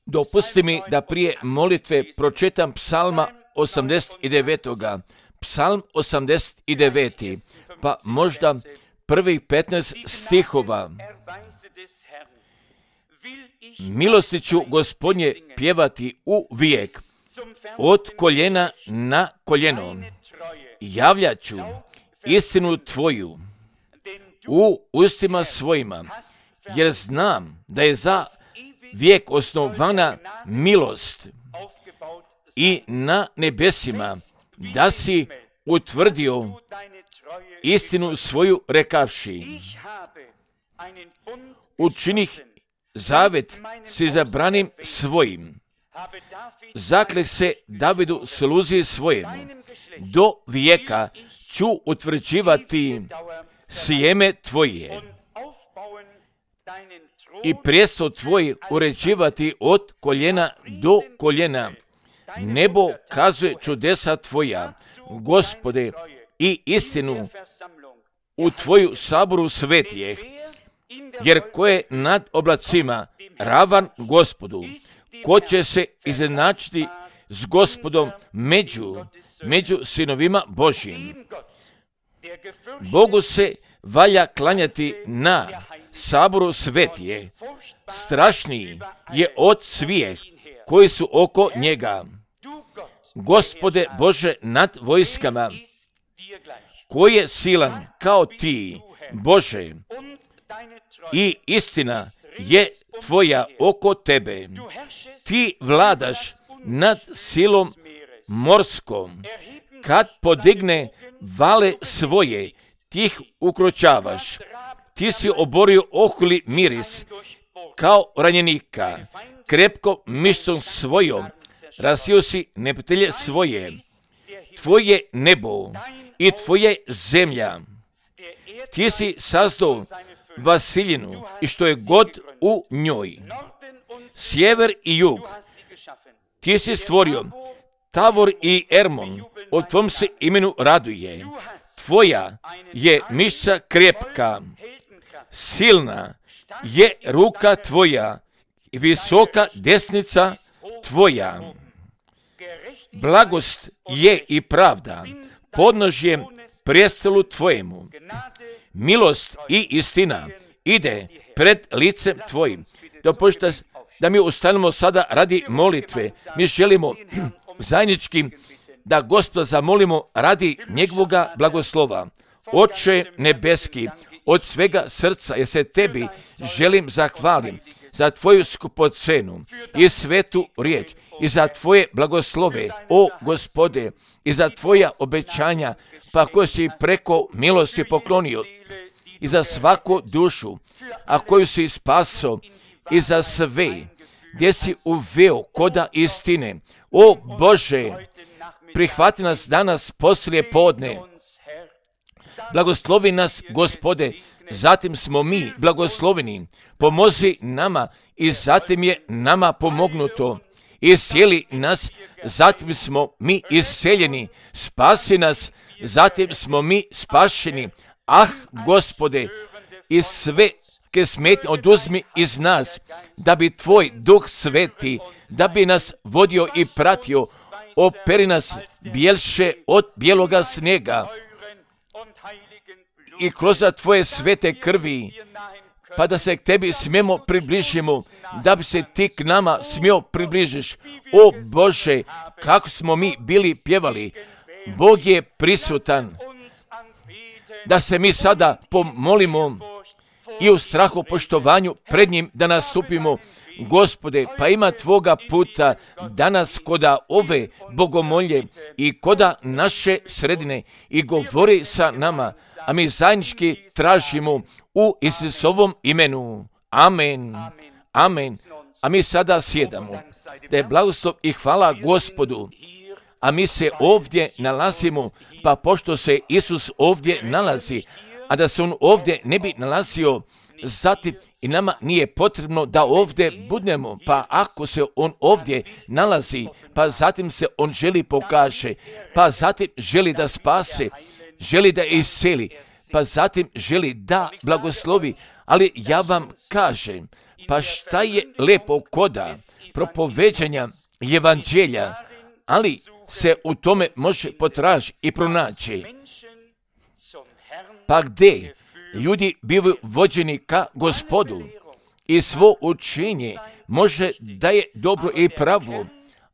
Dopusti mi da prije molitve pročitam psalma 89. Psalm 89. Pa možda prvih 15 stihova. Milosti ću Gospodnje pjevati uvijek, od koljena na koljeno. Javljat ću istinu Tvoju u ustima svojima, jer znam da je za vijek osnovana milost i na nebesima da si utvrdio istinu svoju rekavši. Učinih zavet s izabranim svojim. Zakleh se Davidu sluzi svojemu. Do vijeka ću utvrđivati sjeme Tvoje i prijestol Tvoj uređivati od koljena do koljena. Nebo kazuje čudesa Tvoja, Gospode, i istinu u Tvoju saboru svetijeh, jer ko je nad oblacima ravan Gospodu, ko će se izjednačiti s Gospodom među sinovima Božjim. Bogu se valja klanjati na saboru svetije, strašniji je od svih koji su oko njega. Gospode Bože nad vojskama, koji je silan kao Ti, Bože, i istina je Tvoja oko Tebe. Ti vladaš nad silom morskom, kad podigne vale svoje, Ti ih ukročavaš. Ti si oborio ohuli miris kao ranjenika, krepko mišicom svojom rasio si neprijatelje svoje. Tvoje nebo i Tvoje zemlja. Ti si sazdao Vasiljinu i što je god u njoj. Sjever i jug. Ti si stvorio Tavor i Ermon, o Tvom se imenu raduje. Tvoja je mišica krepka, silna je ruka Tvoja i visoka desnica Tvoja. Blagost je i pravda podnožjem prijestolu Tvojemu. Milost i istina ide pred licem Tvojim. Dopušta da mi ustanemo sada radi molitve. Mi želimo zajednički da Gospoda zamolimo radi njegovoga blagoslova. Oče nebeski, od svega srca jer se Tebi želim zahvalim za Tvoju skupocenu i svetu riječ i za Tvoje blagoslove, o Gospode, i za Tvoja obećanja, pa koje si preko milosti poklonio, i za svaku dušu, a koju si spaso, i za sve, gdje si uveo koda istine. O Bože, prihvati nas danas poslije podne. Blagoslovi nas, Gospode, zatim smo mi blagosloveni. Pomozi nama i zatim je nama pomognuto. Iscijeli nas, zatim smo mi isceljeni. Spasi nas, zatim smo mi spašeni. Ah, Gospode, i sve smetnje oduzmi iz nas, da bi Tvoj Duh Sveti, da bi nas vodio i pratio, operi nas bjelše od bijeloga snijega i kroz Tvoje svete krvi, pa da se k Tebi smijemo približimo, da bi se Ti k nama smio približiš. O Bože, kako smo mi bili pjevali, Bog je prisutan, da se mi sada pomolimo i u strahu poštovanju pred njim da nastupimo. Gospode, pa ima Tvoga puta danas koda ove bogomolje i koda naše sredine i govori sa nama, a mi zajednički tražimo u Isusovom imenu. Amen. Amen. A mi sada sjedamo. Da je blagoslov i hvala Gospodu. A mi se ovdje nalazimo, pa pošto se Isus ovdje nalazi, a da se on ovdje ne bi nalazio, zatim i nama nije potrebno da ovdje budemo, pa ako se on ovdje nalazi, pa zatim se on želi pokaže, pa zatim želi da spase, želi da isceli, pa zatim želi da blagoslovi, ali ja vam kažem, Pa šta je lepo koda propoveđanja evanđelja, ali se u tome može potražiti i pronaći. Pa gdje ljudi bivaju vođeni ka Gospodu i svo učenje može da je dobro i pravo,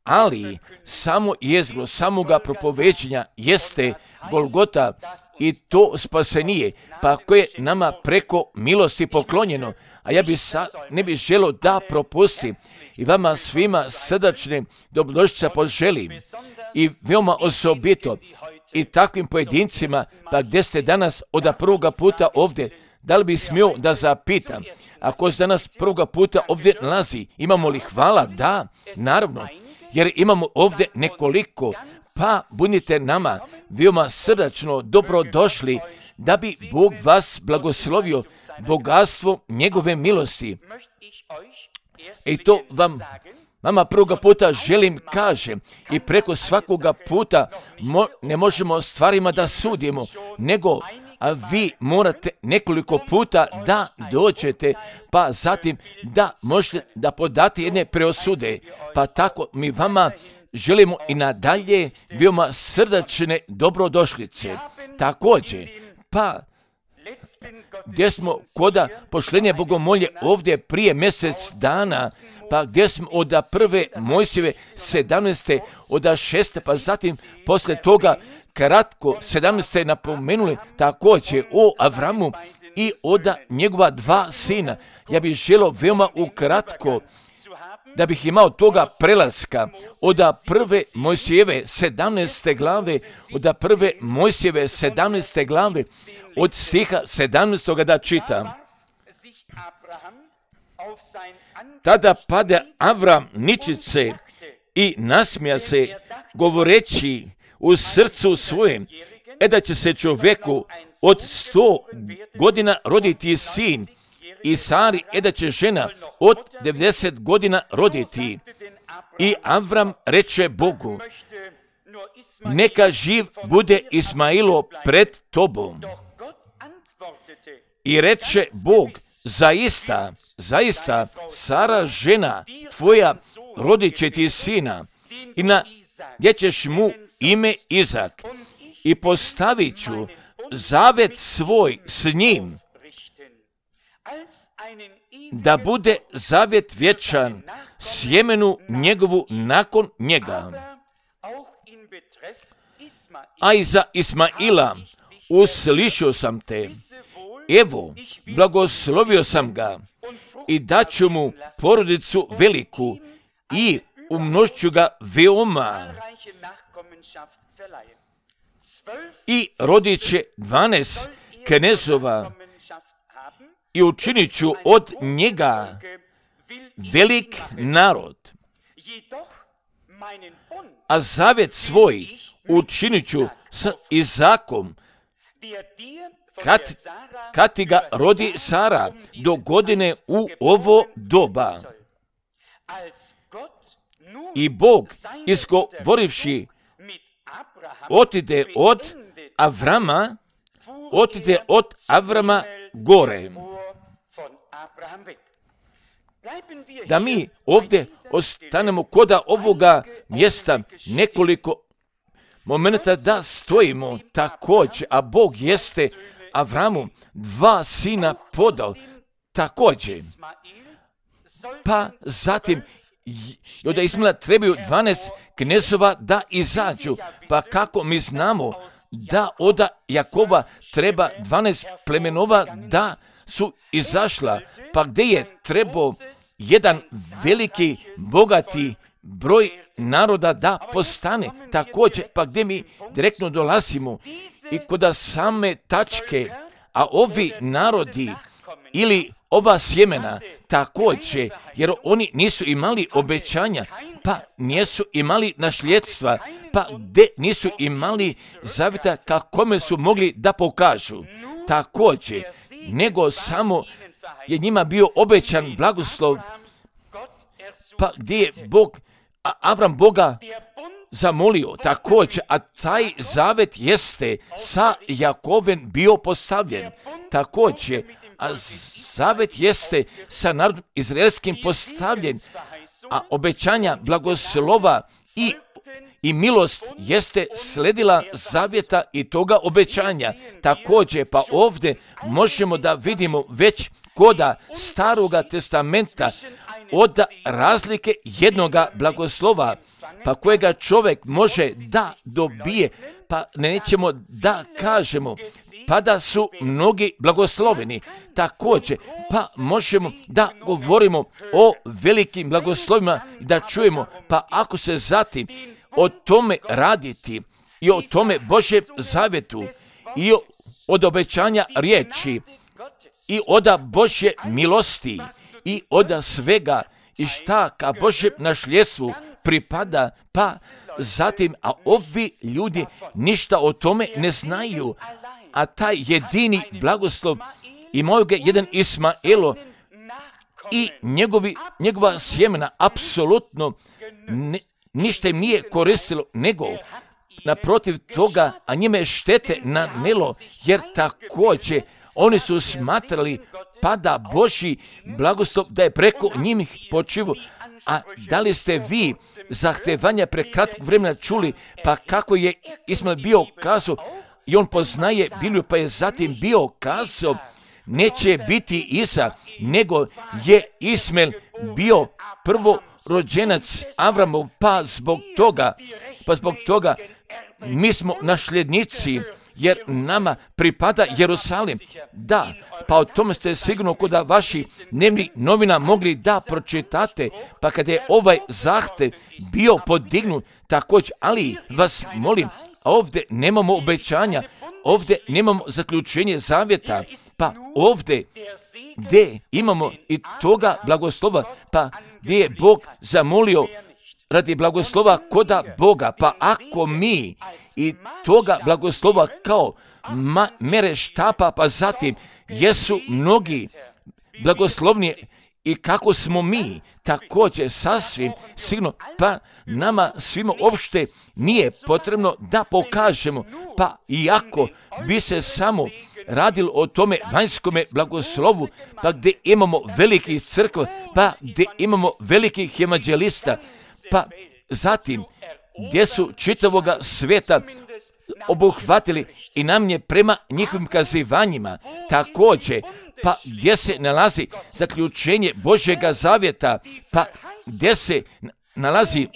ali samo jezgro samoga propoveđenja jeste Golgota i to spasenije, pa koje je nama preko milosti poklonjeno. A ja ne bih želio da propustim i vama svima srdačne dobrodošlice poželim i veoma osobito i takvim pojedincima, pa gdje ste danas od prvoga puta ovdje, da li bi smio da zapitam, ako se danas prvoga puta ovdje nalazi, imamo li hvala? Da, naravno, jer imamo ovdje nekoliko, pa budite nama veoma srdačno dobrodošli, da bi Bog vas blagoslovio bogatstvo njegove milosti. I to vama prvoga puta želim kažem i preko svakoga puta ne možemo stvarima da sudimo, nego a vi morate nekoliko puta da dođete, pa zatim da možete da podate jedne preosude. Pa tako mi vama želimo i nadalje veoma srdačne dobrodošlice. Također, pa gdje smo koda pošlenje bogomolje ovdje prije mjesec dana, pa gdje smo od prve Mojsijeve 17. od 6. pa zatim poslije toga kratko 17. napomenuli također o Avramu i od njegova dva sina. Ja bih želio veoma ukratko da bih imao toga prelaska od prve Mojsijeve 17. glave, od prve Mojsijeve 17. glave, od stiha 17. da čitam. Tada pade Avram ničice i nasmija se, govoreći u srcu svojem, da će se čovjeku od 100 godina roditi sin, i Sari da će žena od 90 godina roditi. I Avram reče Bogu, neka živ bude Ismailo pred tobom. I reče Bog, zaista, Sara žena tvoja rodit će ti sina, i gdje ćeš mu ime Izak, i postavit ću zavet svoj s njim, da bude zavet vječan sjemenu njegovu nakon njega. A i za Ismaila uslišio sam te, evo, blagoslovio sam ga i daću mu porodicu veliku i umnošću ga veoma. I rodit će 12 knezova i učinit ću od njega velik narod. A zavet svoj učinit ću s Izakom, kad ti ga rodi Sara do godine u ovo doba. I Bog, izgovorivši, otide od Avrama gore. Da mi ovdje ostanemo koda ovoga mjesta nekoliko momenta da stojimo također, a Bog jeste Avramu 2 sina podao također. Pa zatim od Ismaila trebaju 12 knezova da izađu, pa kako mi znamo da od Jakova treba 12 plemenova da su izašla, pa gdje je trebao jedan veliki, bogati broj naroda da postane također, pa gdje mi direktno dolazimo i kod same tačke, a ovi narodi ili ova sjemena također, jer oni nisu imali obećanja, pa nisu imali nasljedstva, pa gdje nisu imali zavjeta kakome su mogli da pokažu također, nego samo je njima bio obećan blagoslov, pa gdje je Avram Boga zamolio također, a taj zavet jeste sa Jakovem bio postavljen također, a zavet jeste sa narodom izraelskim postavljen, a obećanja blagoslova i milost jeste sledila zavjeta i toga obećanja. Također, pa ovdje možemo da vidimo već koda Staroga testamenta od razlike jednoga blagoslova, pa kojega čovjek može da dobije, pa nećemo da kažemo, pa da su mnogi blagosloveni. Također, pa možemo da govorimo o velikim blagoslovima, da čujemo, pa ako se zatim o tome raditi i o tome Božjem zavjetu i od obećanja riječi i od Božje milosti i od svega i šta ka Božjem nasljedstvu pripada, pa zatim, a ovi ljudi ništa o tome ne znaju, a taj jedini blagoslov imao ga jedan Ismaelo i njegova sjemena apsolutno ništa im nije koristilo, nego naprotiv toga, a njime štete nanelo, jer također oni su smatrali pada Božji blagoslov da je preko njih počivo. A da li ste vi zahtevanja pre kratkog vremena čuli, pa kako je Ismael bio kazao, i on poznaje Bibliju, pa je zatim bio kazao, neće biti Isa, nego je Ismael bio prvorođenac Avramov, pa zbog toga mi smo nasljednici, jer nama pripada Jerusalim. Da, pa o tome ste sigurno kod vaših dnevnih novina mogli da pročitate, pa kada je ovaj zahtev bio podignut također, ali vas molim, ovdje nemamo obećanja, ovdje nemamo zaključenje zavjeta, pa ovdje gdje imamo i toga blagoslova, pa gdje je Bog zamolio radi blagoslova koda Boga, pa ako mi i toga blagoslova kao mere štapa, pa zatim jesu mnogi blagoslovni i kako smo mi također sasvim sigurno, pa nama svima uopšte nije potrebno da pokažemo, pa iako bi se samo radilo o tome vanjskome blagoslovu, pa gdje imamo velikih crkva, pa gdje imamo velikih evanđelista, pa zatim gdje su čitavoga sveta obuhvatili i nam je prema njihovim kazivanjima također, pa gdje se nalazi zaključenje Božjega zavjeta, pa gdje se nalazi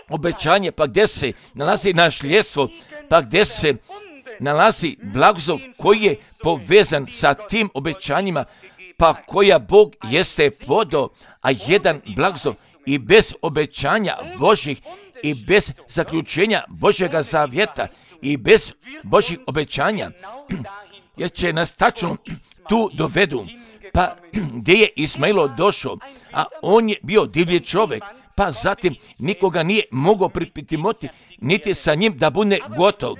obećanje, pa gdje se nalazi nasljedstvo, pa gdje se nalazi blagoslov koji je povezan sa tim obećanjima, pa koja Bog jeste podao, a jedan blagoslov i bez obećanja Božjih i bez zaključenja Božjega zavjeta i bez Božjih obećanja, jer će nas tačno tu dovedu, pa gdje je Ismailo došao, a on je bio divlji čovjek, pa zatim nikoga nije mogao pripitimoti, niti sa njim da bude gotov.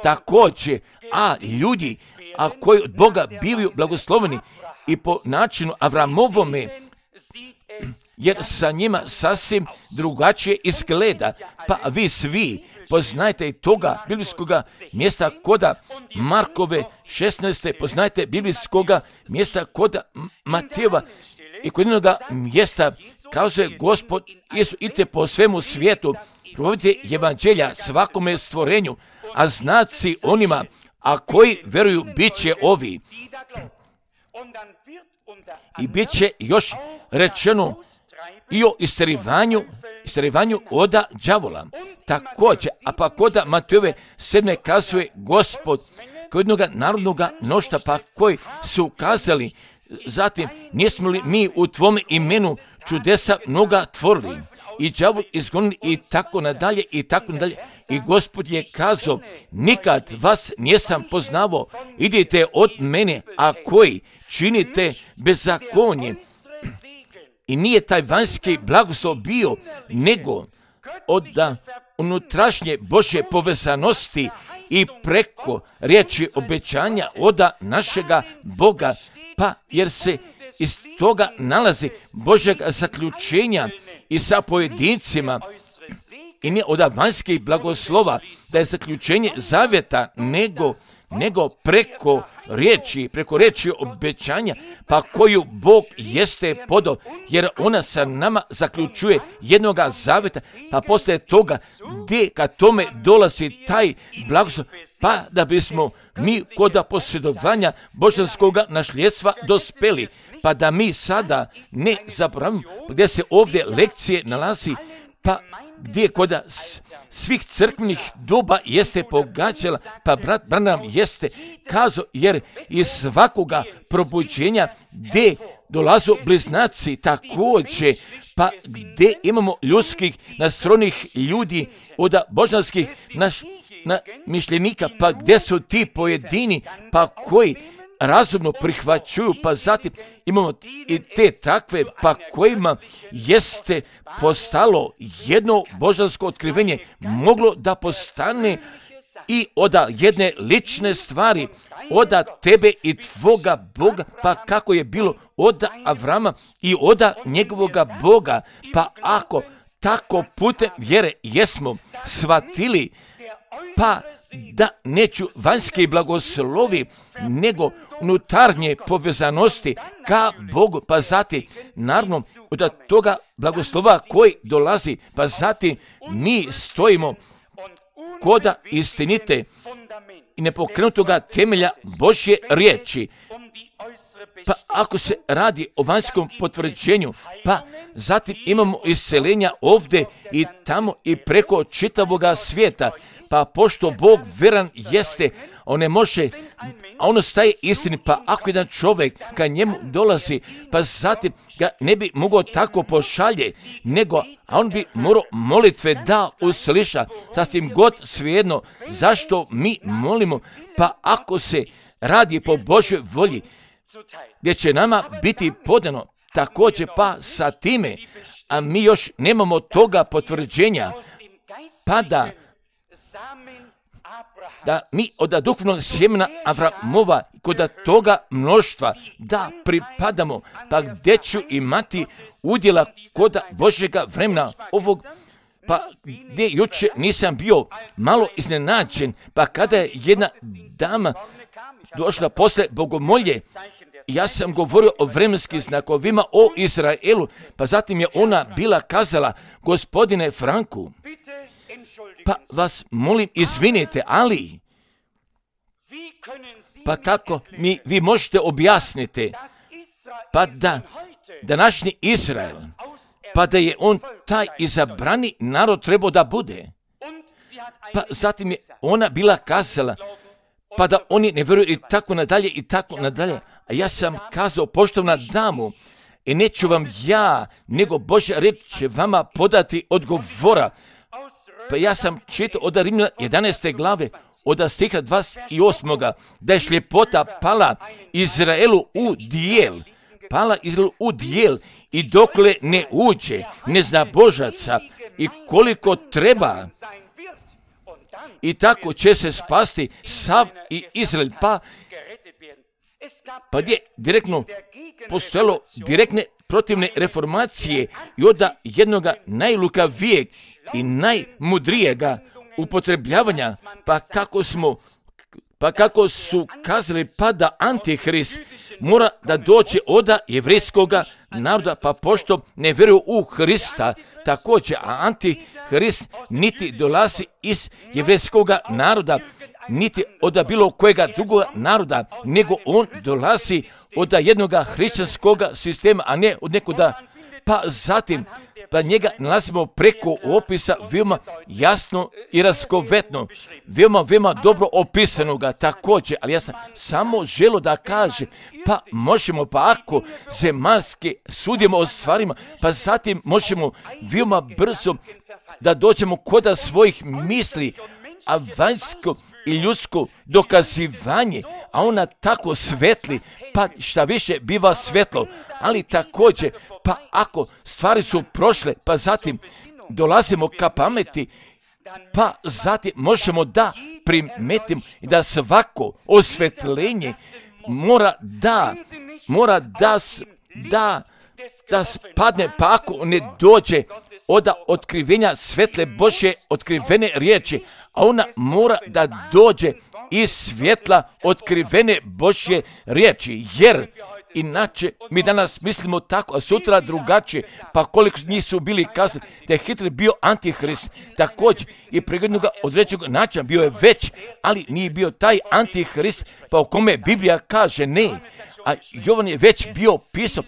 Također, a ljudi, a koji od Boga bivaju blagosloveni i po načinu Avramovome, jer sa njima sasvim drugačije izgleda, pa vi svi poznajte i toga biblijskoga mjesta koda Markove 16. Poznajte biblijskoga mjesta koda Matejeva i kod jednoga mjesta kazuje Gospod Isus, idite po svemu svijetu, provodite evanđelja svakome stvorenju, a znaci onima, a koji veruju bit će ovi. I bit će još rečeno i o istjerivanju oda đavola. Također, a pa koda Matejove 7. kazuje Gospod kod jednoga narodnoga mnoštva, pa koji su kazali, zatim, nismo li mi u tvome imenu čudesa mnoga tvorili i đavol izgonili i tako nadalje i tako nadalje. I Gospod je kazao, nikad vas nisam poznavao, idite od mene, a koji činite bezakonje. I nije taj vanjski blagoslov bio, nego od unutrašnje Božje povezanosti i preko riječi obećanja od našega Boga, pa jer se iz toga nalazi Božjeg zaključenja i sa pojedincima i nije od vanjskih blagoslova da je zaključenje zavjeta, nego nego preko riječi obećanja, pa koju Bog jeste podao, jer ona sa nama zaključuje jednoga zaveta, pa poslije toga gdje kad tome dolazi taj blagoslov, pa da bismo mi kod posjedovanja božanskoga nasljedstva dospeli, pa da mi sada ne zaboravimo gdje se ovdje lekcije nalazi, pa gdje kod svih crkvenih doba jeste pogađala, pa brat Branham jeste kazao, jer iz svakoga probuđenja gdje dolazu bliznaci također, pa gdje imamo ljudskih nastrojenih ljudi od božanskih mišljenika, pa gdje su ti pojedini, pa koji razumno prihvaćuju, pa zatim imamo i te takve, pa kojima jeste postalo jedno božansko otkrivenje, moglo da postane i od jedne lične stvari, od tebe i tvoga Boga, pa kako je bilo od Avrama i od njegovoga Boga, pa ako tako putem vjere jesmo shvatili, pa da neću vanjski blagoslovi, nego unutarnje povezanosti ka Bogu, pa zatim naravno od toga blagoslova koji dolazi, pa zatim mi stojimo kod istinite i nepokrenutoga temelja Božje riječi. Pa ako se radi o vanjskom potvrđenju, pa zatim imamo isceljenja ovdje i tamo i preko čitavoga svijeta, pa pošto Bog veran jeste, on ne može, a ono staje istini, pa ako jedan čovjek ka njemu dolazi, pa zatim ga ne bi mogao tako pošalje, nego, a on bi morao molitve da usliša, sasvim god svejedno, zašto mi molimo, pa ako se radi po Božjoj volji, gdje će nama biti podano također pa sa time, a mi još nemamo toga potvrđenja, pa da mi od duhovnog sjemena Avramova kod toga mnoštva da pripadamo, pa gdje ću imati udjela kod Božjega vremena ovog, pa gdje jučer nisam bio malo iznenađen, pa kada je jedna dama došla posle bogomolje, ja sam govorio o vremenskim znakovima, o Izraelu, pa zatim je ona bila kazala, gospodine Franku, pa vas molim izvinite, ali pa kako vi možete objasniti, pa da današnji Izrael, pa da je on taj izabrani narod trebao da bude. Pa zatim je ona bila kazala, pa da oni ne vjeruju i tako nadalje i tako nadalje. A ja sam kazao, poštovna damu, i neću vam ja, nego Božja riječ će vama podati odgovora. Pa ja sam čitao od Rimljana 11. glave, od stiha 28. da je šljepota pala Izraelu u dijel. Pala Izraelu u dijel i dokle ne uđe, ne zna Božaca i koliko treba. I tako će se spasti sav i Izrael, pa gdje direktno postojalo direktne protivne reformacije i od jednoga najlukavijeg i najmudrijega upotrebljavanja, pa kako su kazali, pa da Antihrist mora da dođe od jevrijskoga naroda, pa pošto ne vjeruju u Hrista također, a Antihrist niti dolazi iz jevrijskoga naroda, niti od bilo kojega drugoga naroda, nego on dolazi od jednoga hrišćanskoga sistema, a ne od nekoga, pa zatim, pa njega nalazimo preko opisa veoma jasno i raskovetno, veoma dobro opisanoga također, ali ja sam samo želio da kažem, pa možemo, pa ako zemaljske sudimo o stvarima, pa zatim možemo veoma brzo da dođemo kod svojih misli, a vanjsko i ljudsko dokazivanje, a ona tako svetli, pa šta više biva svetlo, ali također, pa ako stvari su prošle, pa zatim dolazimo ka pameti, pa zatim možemo da primetimo da svako osvetljenje mora da spadne, pa ako ne dođe od otkrivenja svetle Božje otkrivene riječi, a ona mora da dođe iz svjetla otkrivene Božje riječi, jer inače mi danas mislimo tako, a sutra drugačije, pa koliko njih su bili kazali da je Hitler bio antihrist, također i pregled ga određenog načina bio je već, ali nije bio taj antihrist, pa o kome Biblija kaže ne, a Jovan je već bio pisao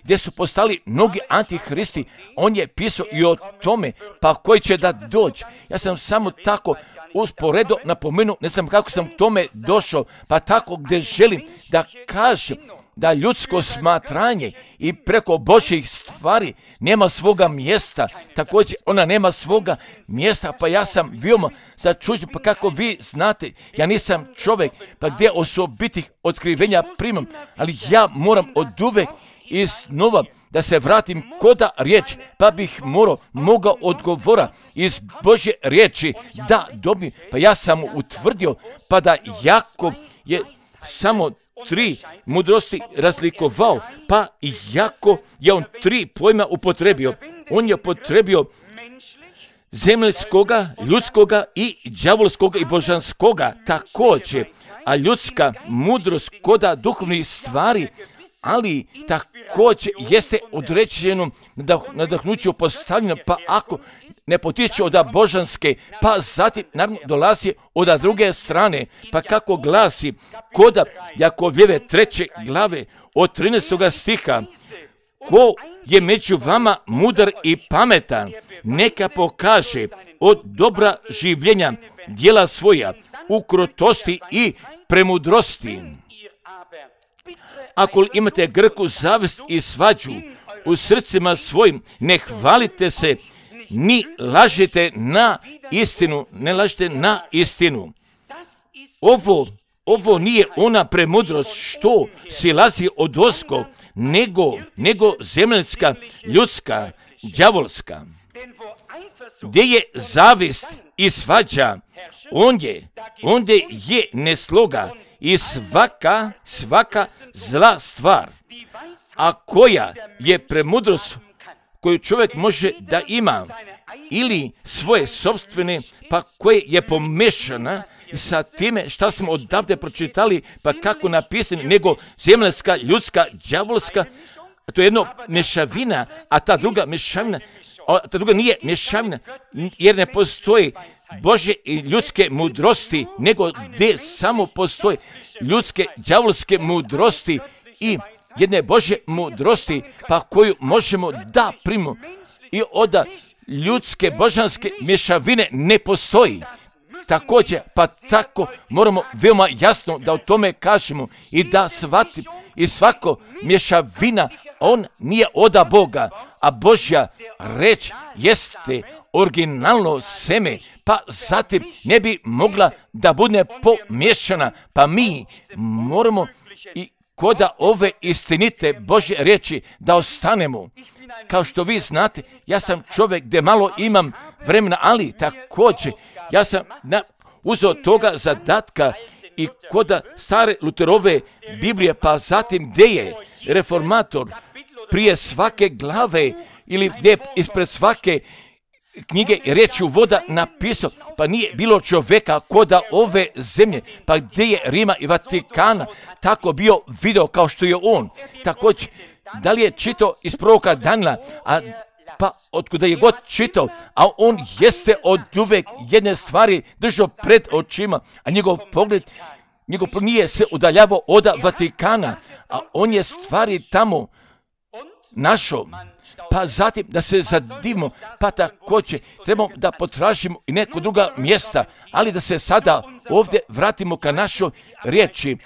gdje su postali mnogi antihristi, on je pisao i o tome, pa koji će da dođe. Ja sam samo tako usporedo napomenuo, ne znam kako sam tome došao, pa tako gdje želim da kažem da ljudsko smatranje i preko Božjih stvari nema svoga mjesta, također ona nema svoga mjesta, pa ja sam veoma začuđen, pa kako vi znate, ja nisam čovjek, pa gdje osobitih otkrivenja primam, ali ja moram oduvek iznova da se vratim koda riječ, pa bih mogao odgovora iz Božje riječi da dobim, pa ja sam utvrdio, pa da Jakov je samo 3 mudrosti razlikovao, pa iako je on 3 pojma upotrebio, on je upotrebio zemaljskoga, ljudskoga i đavolskoga i božanskoga također, a ljudska mudrost koda duhovnih stvari, ali također jeste određeno nadahnuće postavljeno, pa ako ne potiče od božanske, pa zatim naravno dolazi od druge strane, pa kako glasi koda Jakovljeve 3. glave od 13. stiha, ko je među vama mudar i pametan, neka pokaže od dobra življenja djela svoja u krotosti i premudrosti. Ako imate grku zavist i svađu u srcima svojim, ne hvalite se, ni lažete na istinu, ne lažete na istinu. Ovo nije ona premudrost što silazi od ozgo, nego zemaljska, ljudska, đavolska. Gdje je zavist i svađa, ondje je nesloga i svaka zla stvar. A koja je premudrost koju čovjek može da ima, ili svoje sopstvene, pa koje je pomešana sa time šta smo odavde pročitali, pa kako napisano, nego zemaljska, ljudska, đavolska, to je jedno mješavina, a ta druga mješavina, ta druga nije mješavina, jer ne postoji Božje i ljudske mudrosti, nego gdje samo postoje ljudske, đavolske mudrosti i jedne Božje mudrosti, pa koju možemo da primimo i od ljudske, božanske mješavine ne postoji. Također, pa tako moramo veoma jasno da o tome kažemo i da shvatimo i svako mješavina, on nije od Boga, a Božja reč jeste originalno seme, pa zatim ne bi mogla da bude pomiješana, pa mi moramo i koda ove istinite Božje riječi da ostanemo. Kao što vi znate, ja sam čovjek gdje malo imam vremena, ali također ja sam uzeo toga zadatka i koda stare Luterove Biblije, pa zatim gdje je reformator prije svake glave ili gdje ispred svake knjige riječi uvoda napisao, pa nije bilo čovjeka koda ove zemlje, pa gdje je Rima i Vatikana tako bio video kao što je on. Također, da li je čitao iz proroka Danila, pa otkuda je god čitao, a on jeste od uvek jedne stvari držao pred očima, a njegov pogled nije se udaljavao od Vatikana, a on je stvari tamo našao. Pa zatim da se zadivimo, pa također trebamo da potražimo i neko druga mjesta, ali da se sada ovdje vratimo ka našoj riječi.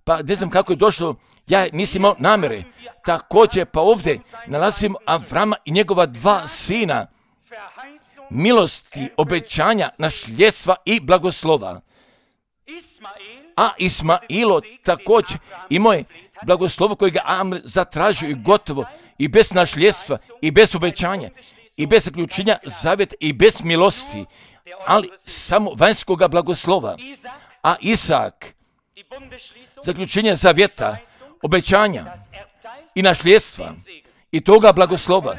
Pa ne znam kako je došlo, ja nisam imao namjere. Također pa ovdje nalazimo Avrama i njegova 2 sina, milosti, obećanja, nasljedstva i blagoslova. A Ismailo također imao je blagoslovo koje ga Amr zatražio i gotovo, i bez nasljedstva, i bez obećanja, i bez zaključenja zavjeta, i bez milosti, ali samo vanjskoga blagoslova. A Isak, zaključenje zavjeta, obećanja i nasljedstva i toga blagoslova,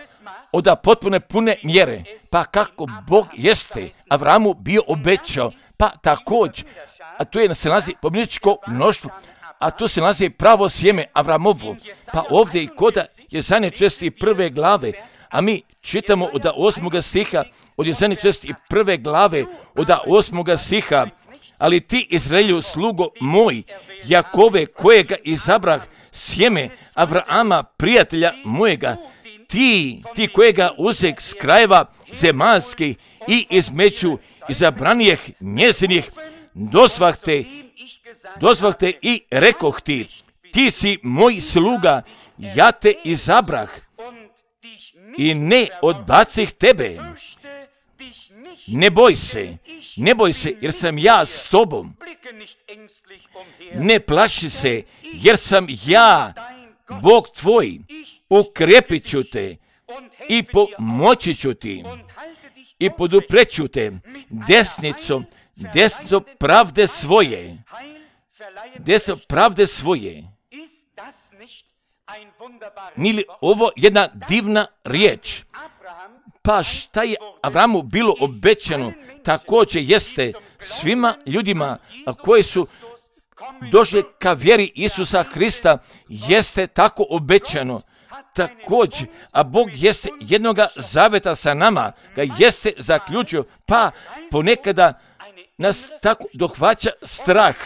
od potpune pune mjere, pa kako Bog jeste Avramu bio obećao, pa također, a tu se nalazi pobjedničko mnoštvo, a tu se nalazi pravo sjeme Avramovo, pa ovdje i koda Jezanje 41. glave, a mi čitamo od 8. stiha, od Jezanje 41. glave, od 8. stiha, ali ti Izraelju slugo moj, Jakove kojega izabrah, sjeme Avrama prijatelja mojega, ti kojega uzek s krajeva zemaljskih i između izabranijih njezinih, dozvah te i rekoh ti si moj sluga, ja te izabrah i ne odbacih tebe. Ne boj se, jer sam ja s tobom. Ne plaši se, jer sam ja, Bog tvoj, ukrepit ću te i pomoći ću ti i podupreću te desnicom pravde svoje. Nije li ovo jedna divna riječ? Pa šta je Avramu bilo obećano, također jeste svima ljudima koji su došli ka vjeri Isusa Hrista, jeste tako obećano. Također, a Bog jeste jednoga zaveta sa nama, ga jeste zaključio, pa ponekada nas tako dohvaća strah,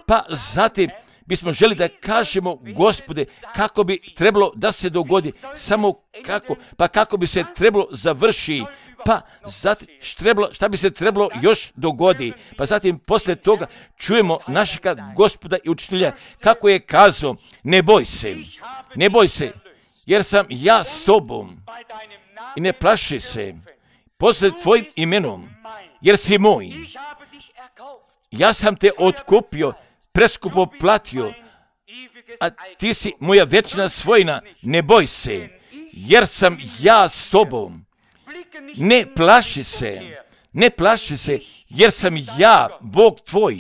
pa zatim bismo želi da kažemo, Gospode, kako bi trebalo da se dogodi, samo kako, pa kako bi se trebalo završi, pa zatim šta bi se trebalo još dogodi, pa zatim poslije toga čujemo našega Gospoda i učitelja kako je kazao, ne boj se, jer sam ja s tobom i ne plaši se, poslije tvojim imenom, jer si moj. Ja sam te otkupio, preskupo platio, a ti si moja vječna svojina, ne boj se, jer sam ja s tobom. Ne plaši se, jer sam ja, Bog tvoj,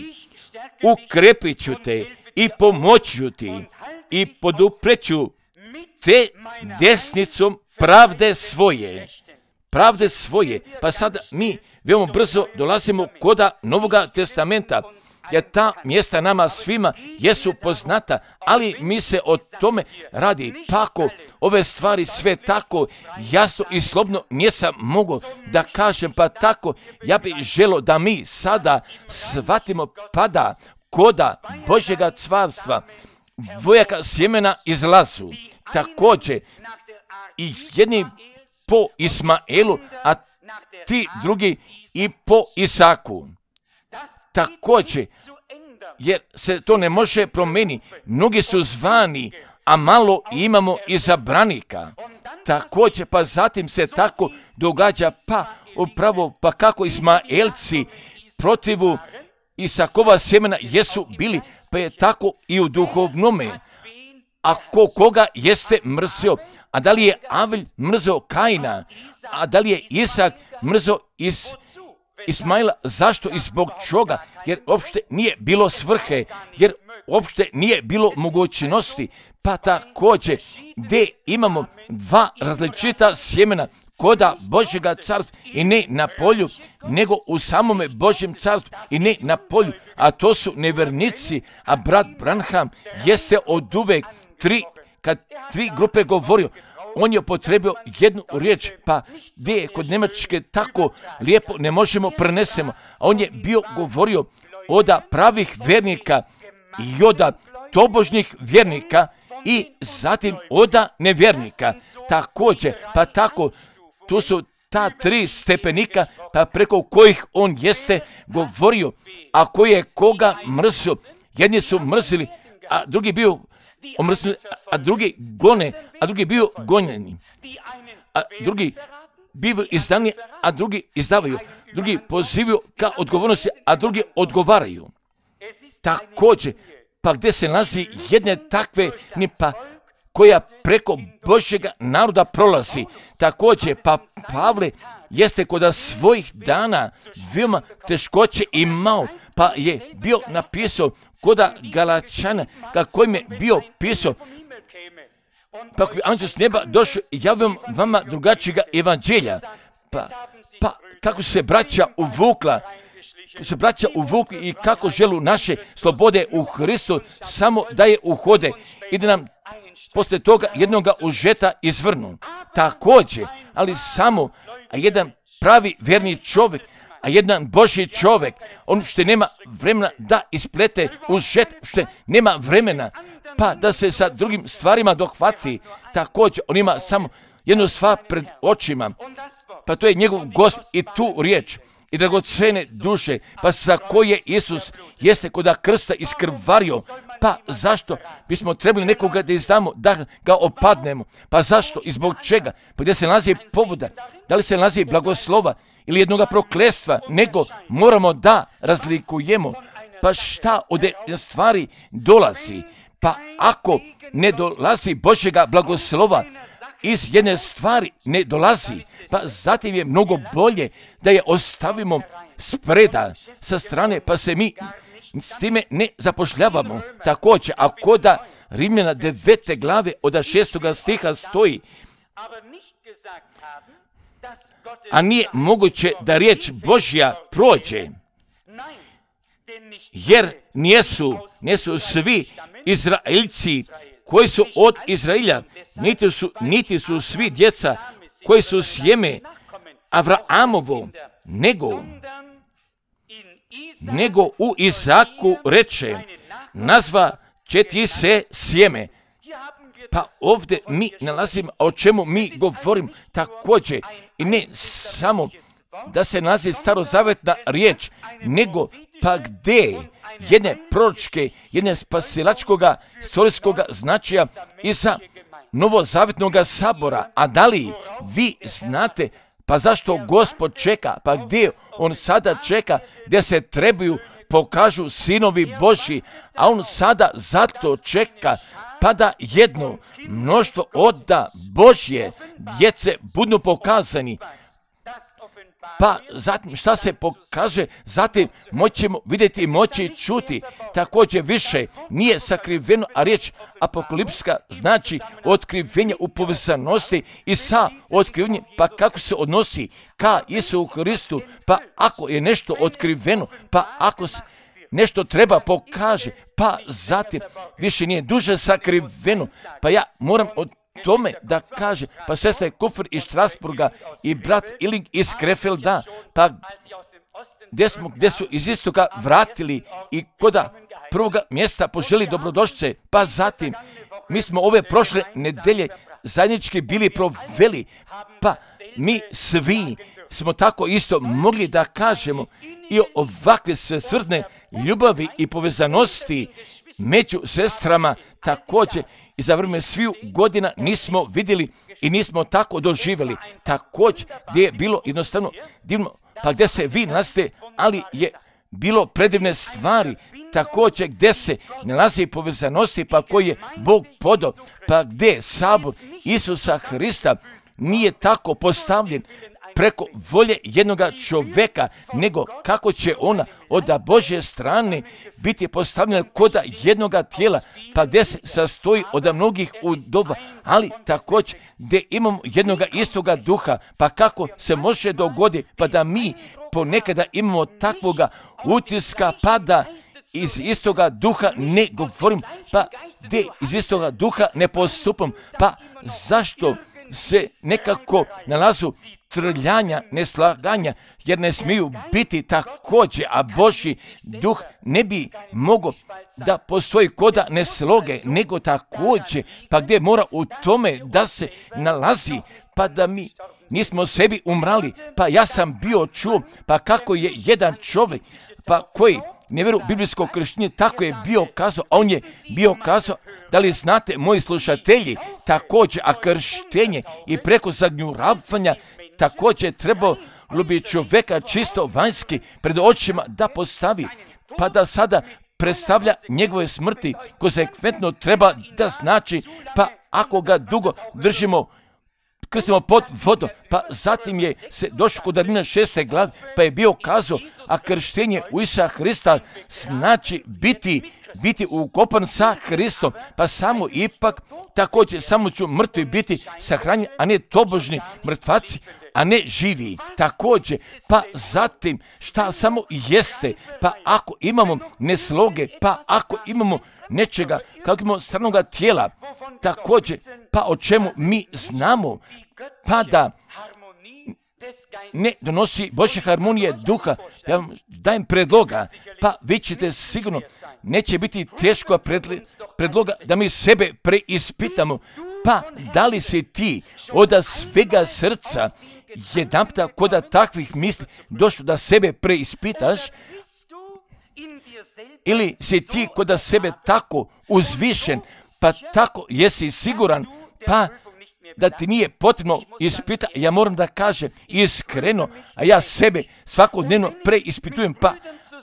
ukrepit ću te i pomoću ti i podupreću te desnicom pravde svoje. Pa sada mi veoma brzo dolazimo koda Novoga testamenta, jer ta mjesta nama svima jesu poznata, ali mi se o tome radi. Pako ove stvari sve tako jasno i slobodno nisam mogao da kažem, pa tako ja bih želio da mi sada shvatimo pada koda Božjega carstva, dvojaka sjemena izlazu, također i jedni po Ismaelu, a ti drugi i po Isaku. Također, jer se to ne može promijeniti, mnogi su zvani, a malo imamo izabranika. Također, pa zatim se tako događa, pa upravo, pa kako Ismaelci protivu Isakova sjemena jesu bili, pa je tako i u duhovnome. Ako koga jeste mrzio, a da li je Avelj mrzio Kaina, a da li je Isak mrzio Ismaila, zašto i zbog čega? Jer uopšte nije bilo svrhe, jer uopšte nije bilo mogućnosti, pa također gdje imamo dva različita sjemena koda Božjega carstva i ne na polju, nego u samome Božjem carstvu i ne na polju, a to su nevernici, a brat Branham jeste od uvek kad tri grupe govorio, on je upotrebio jednu riječ, pa gdje je kod Njemačke tako lijepo ne možemo prenesemo, a on je bio govorio od pravih vjernika i od tobožnjih vjernika i zatim od nevjernika. Također, pa tako, tu su ta tri stepenika, pa preko kojih on jeste govorio, a koji je koga mrzio. Jedni su mrzili, a drugi bio omrzili, a drugi gone, a drugi bio gonjeni, a drugi bivaju izdani, a drugi izdavaju, drugi pozivaju ka odgovornosti, a drugi odgovaraju. Također, pa gdje se nalazi jedne takve nipa koja preko Božjega naroda prolazi. Također, pa Pavle jeste kod svojih dana veoma teškoće imao, pa je bio napisao kod Galačana, kako im je bio pisao, pa ako bi anđeo s neba došao i javio vama drugačijega evanđelja, pa kako se braća uvukli i kako želu naše slobode u Hristu samo da je uhode i da nam poslije toga jednoga užeta izvrnu. Također, ali samo jedan pravi vjerni čovjek, a jedan Božji čovjek, on što nema vremena da isplete užet, što nema vremena, pa da se sa drugim stvarima dohvati, također on ima samo jednu stvar pred očima, pa to je njegov Gospod i tu riječ i dragocene duše, pa za koje Isus jeste koda krsta iskrvario, pa zašto bismo trebali nekoga da izdamo, da ga opadnemo, pa zašto i zbog čega, pa gdje se nalazi povoda, da li se nalazi blagoslova ili jednoga prokletstva, nego moramo da razlikujemo, pa šta od stvari dolazi, pa ako ne dolazi Božjega blagoslova, iz jedne stvari ne dolazi, pa zatim je mnogo bolje da je ostavimo spreda sa strane, pa se mi s time ne zapošljavamo. Također, ako da Rimljana 9. glave od 6. stiha stoji, a nije moguće da riječ Božja prođe, jer nisu svi Izraelci koji su od Izraelja, niti su svi djeca koji su sjeme Avrahamovo, nego u Izaku reče, nazva će ti se sjeme. Pa ovdje mi nalazimo, o čemu mi govorim također, i ne samo da se nalazi starozavetna riječ, nego pa gdje jedne proročke, jedne spasilačkoga, istorijskoga značaja iza novozavetnog sabora. A da li vi znate, pa zašto Gospod čeka, pa gdje on sada čeka, gdje se trebaju pokažu sinovi Božji, a on sada zato čeka, pa da jedno mnoštvo oda Božje djece budu pokazani. Pa zatim šta se pokazuje, zatim moćemo vidjeti i moći čuti. Također više nije sakriveno, a riječ apokalipska znači otkrivenje u povezanosti i sa otkrivenjem, pa kako se odnosi ka Isu Hristu, pa ako je nešto otkriveno, pa ako se nešto treba pokaže, pa zatim više nije duže sakriveno, pa ja moram od tome da kaže, pa sestra Kufr iz Strasburga i brat Iling iz Krefelda, pa gdje su iz istoga vratili i koda prvoga mjesta poželi dobrodošlice, pa zatim mi smo ove prošle nedelje zajednički bili proveli, pa mi svi smo tako isto mogli da kažemo i ovakve svesrdne ljubavi i povezanosti među sestrama također i za vrijeme sviju godina nismo vidjeli i nismo tako doživjeli. Također gdje je bilo jednostavno divno, pa gdje se vi nalazite, ali je bilo predivne stvari, također gdje se nalazi povezanosti, pa koji je Bog podao, pa gdje sabor Isusa Hrista nije tako postavljen preko volje jednoga čovjeka, nego kako će ona od Božje strane biti postavljena kod jednoga tijela, pa gdje se sastoji od mnogih udova, ali također gdje imamo jednoga istoga duha, pa kako se može dogoditi, pa da mi ponekada imamo takvoga utiska, pa da iz istoga duha ne govorim, pa gdje iz istoga duha ne postupam, pa zašto se nekako nalazu trljanja, neslaganja, jer ne smiju biti također, a Božji duh ne bi mogao da postoji koda nesloge, nego također, pa gdje mora u tome da se nalazi, pa da mi nismo sebi umrali, pa ja sam bio čuo, pa kako je jedan čovjek, pa koji ne vjeru biblijsko krštenje, tako je bio kazao, a on je bio kazao, da li znate, moji slušatelji, također, a krštenje i preko zagnjuravanja također trebalo bi čovjeka čisto vanjski pred očima da postavi, pa da sada predstavlja njegove smrti, konsekventno treba da znači, pa ako ga dugo držimo krstimo pod vodom, pa zatim je se došao kod Rimljana 6. glave, pa je bio kazao, a krštenje u Isusa Hrista znači biti ukopan sa Hristom, pa samo ipak također samo ću mrtvi biti sahranjeni, a ne tobožni mrtvaci, a ne živi. Također, pa zatim šta samo jeste, pa ako imamo nesloge, pa ako imamo nečega, kako imamo stranoga tijela, također, pa o čemu mi znamo, pa da ne donosi Božje harmonije duha, ja vam dajem predloga, pa vi ćete sigurno, neće biti teško predloga da mi sebe preispitamo, pa da li si ti od svega srca jedanputa kod takvih misli došlo da sebe preispitaš, ili si ti kod sebe tako uzvišen, pa tako jesi siguran, pa da ti nije potrebno ispitati. Ja moram da kažem iskreno, a ja sebe svakodnevno preispitujem, pa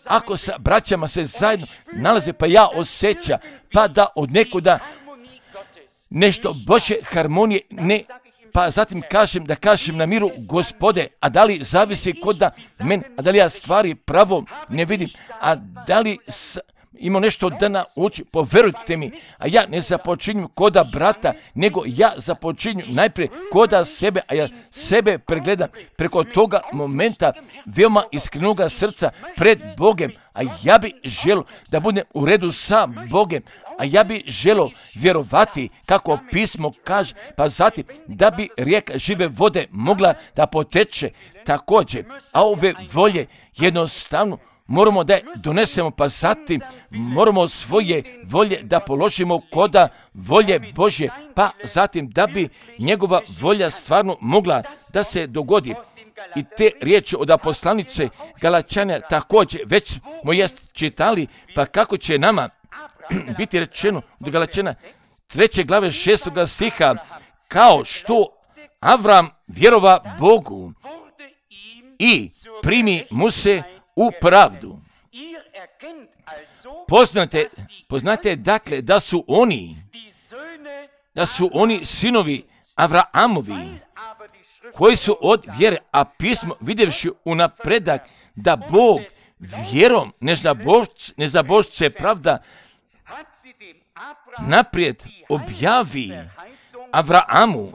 ako sa braćama se zajedno nalaze, pa ja osjećam, pa da od nekoda nešto Božje harmonije ne, pa zatim kažem na miru Gospode, a da li zavisi kod da men, a da li ja stvari pravo ne vidim, a da li ima nešto da nauči, poverujte mi, a ja ne započinjem koda brata, nego ja započinjem najprije koda sebe, a ja sebe pregledam preko toga momenta veoma iskrenoga srca pred Bogem, a ja bi želio da budem u redu sa Bogem, a ja bi želio vjerovati kako pismo kaže, pa zatim da bi rijeka žive vode mogla da poteče također, a ove volje jednostavno moramo da je donesemo, pa zatim moramo svoje volje da položimo koda volje Božje, pa zatim da bi njegova volja stvarno mogla da se dogodi. I te riječi od poslanice Galačana također već smo čitali, pa kako će nama biti rečeno od Galačana 3. glave 6. stiha, kao što Avram vjerova Bogu i primi mu se u pravdu. Poznate dakle da su oni sinovi Avraamovi, koji su od vjere, a pismo vidjevši unapredak da Bog vjerom nezabožce pravda naprijed objavi Avraamu,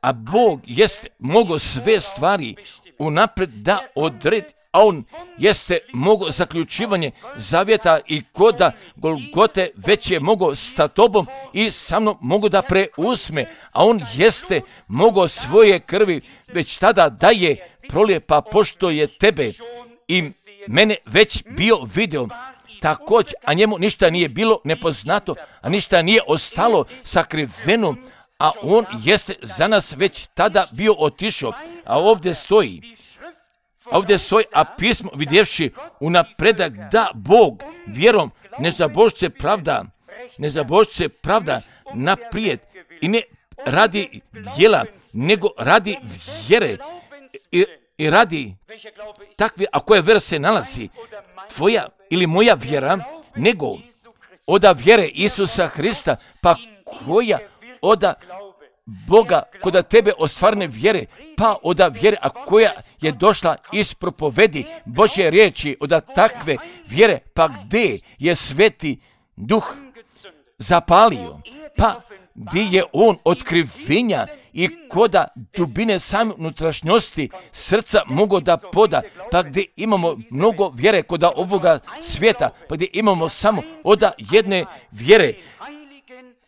a Bog jest mogao sve stvari unaprijed da odredi, a on jeste mogao zaključivanje zavjeta i koda Golgote već je mogao sa tobom i sa mnom mogao da preuzme, a on jeste mogao svoje krvi već tada da je prolijepa, pošto je tebe i mene već bio video također, a njemu ništa nije bilo nepoznato, a ništa nije ostalo sakriveno, a on jeste za nas već tada bio otišao, a ovdje stoji, a pismo vidjevši unapredak da Bog vjerom nezabožce pravda naprijed i ne radi djela, nego radi vjere i radi takve, a koja vjera se nalazi, tvoja ili moja vjera, nego oda vjere Isusa Hrista, pa koja oda Boga koda tebe ostvarne vjere, pa oda vjere, a koja je došla iz propovedi Božje riječi, oda takve vjere, pa gdje je Sveti Duh zapalio, pa gdje je on otkrivenja i koda dubine same unutrašnjosti srca mogo da poda, pa gdje imamo mnogo vjere koda ovoga svijeta, pa gdje imamo samo oda jedne vjere,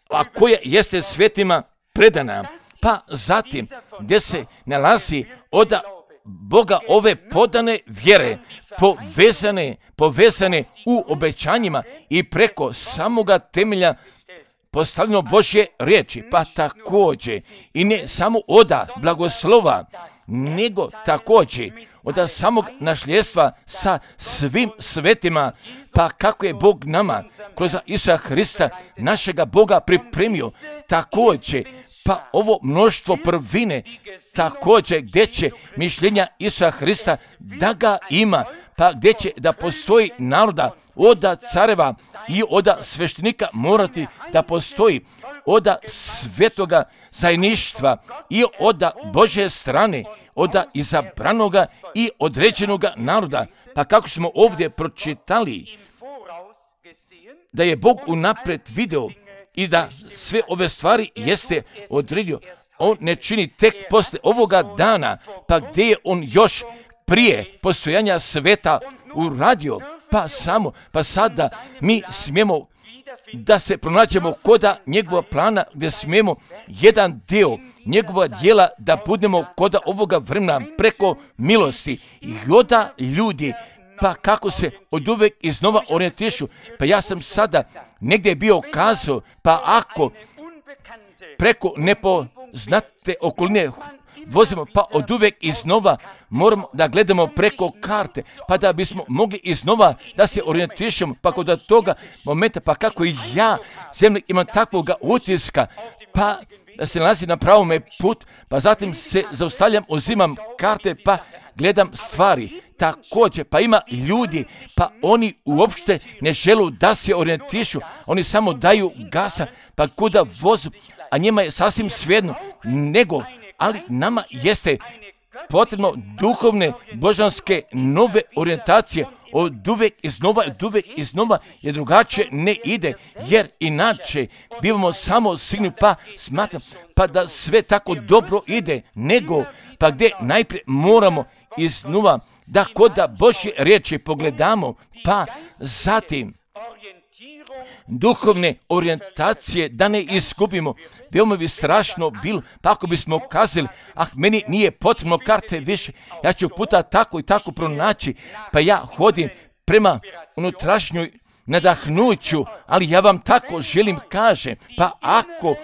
a koja jeste svetima predana, pa zatim gdje se nalazi oda Boga ove podane vjere, povezane u obećanjima i preko samoga temelja postavljeno Božje riječi, pa također i ne samo oda blagoslova, nego također oda samog nasljedstva sa svim svetima, pa kako je Bog nama kroz Isusa Hrista našega Boga pripremio, također pa ovo mnoštvo prvine, također gdje će mišljenja Isusa Hrista da ga ima, pa gdje će da postoji naroda, oda careva i oda sveštenika morati da postoji, oda svetoga zajedništva i oda Božje strane, oda izabranoga i određenoga naroda. Pa kako smo ovdje pročitali, da je Bog unaprijed video i da sve ove stvari jeste odredio. On ne čini tek posle ovoga dana, pa gdje je on još prije postojanja sveta uradio, pa sada mi smijemo da se pronađemo koda njegova plana, gdje smijemo jedan dio njegova djela da budemo koda ovoga vremena preko milosti. I onda ljudi, pa kako se od uvek iznova orijentišu. Pa ja sam sada negdje bio kazao, pa ako preko nepoznate okoline vozimo, pa od uvek iznova moramo da gledamo preko karte, pa da bismo mogli iznova da se orijentišemo, pa kod toga momenta, pa kako i ja zemlje imam takvoga utiska, pa da se nalazi na pravome put, pa zatim se zaustavljam, uzimam karte, pa gledam stvari. Također, pa ima ljudi, pa oni uopšte ne želu da se orijentišu, oni samo daju gasa, pa kuda vozu, a njima je sasvim svejedno, ali nama jeste potrebno duhovne, božanske, nove orijentacije, od uvek iznova, jer drugačije ne ide, jer inače bivamo samo signi, pa smatram, pa da sve tako dobro ide, pa gdje najprije moramo iznova da koda Božje riječi pogledamo, pa zatim duhovne orijentacije da ne izgubimo. Veoma bi strašno bilo, pa ako bismo kazali, meni nije potrebno karte više, ja ću puta tako i tako pronaći, pa ja hodim prema unutrašnjoj nadahnuću, ali ja vam tako želim kažem, pa ako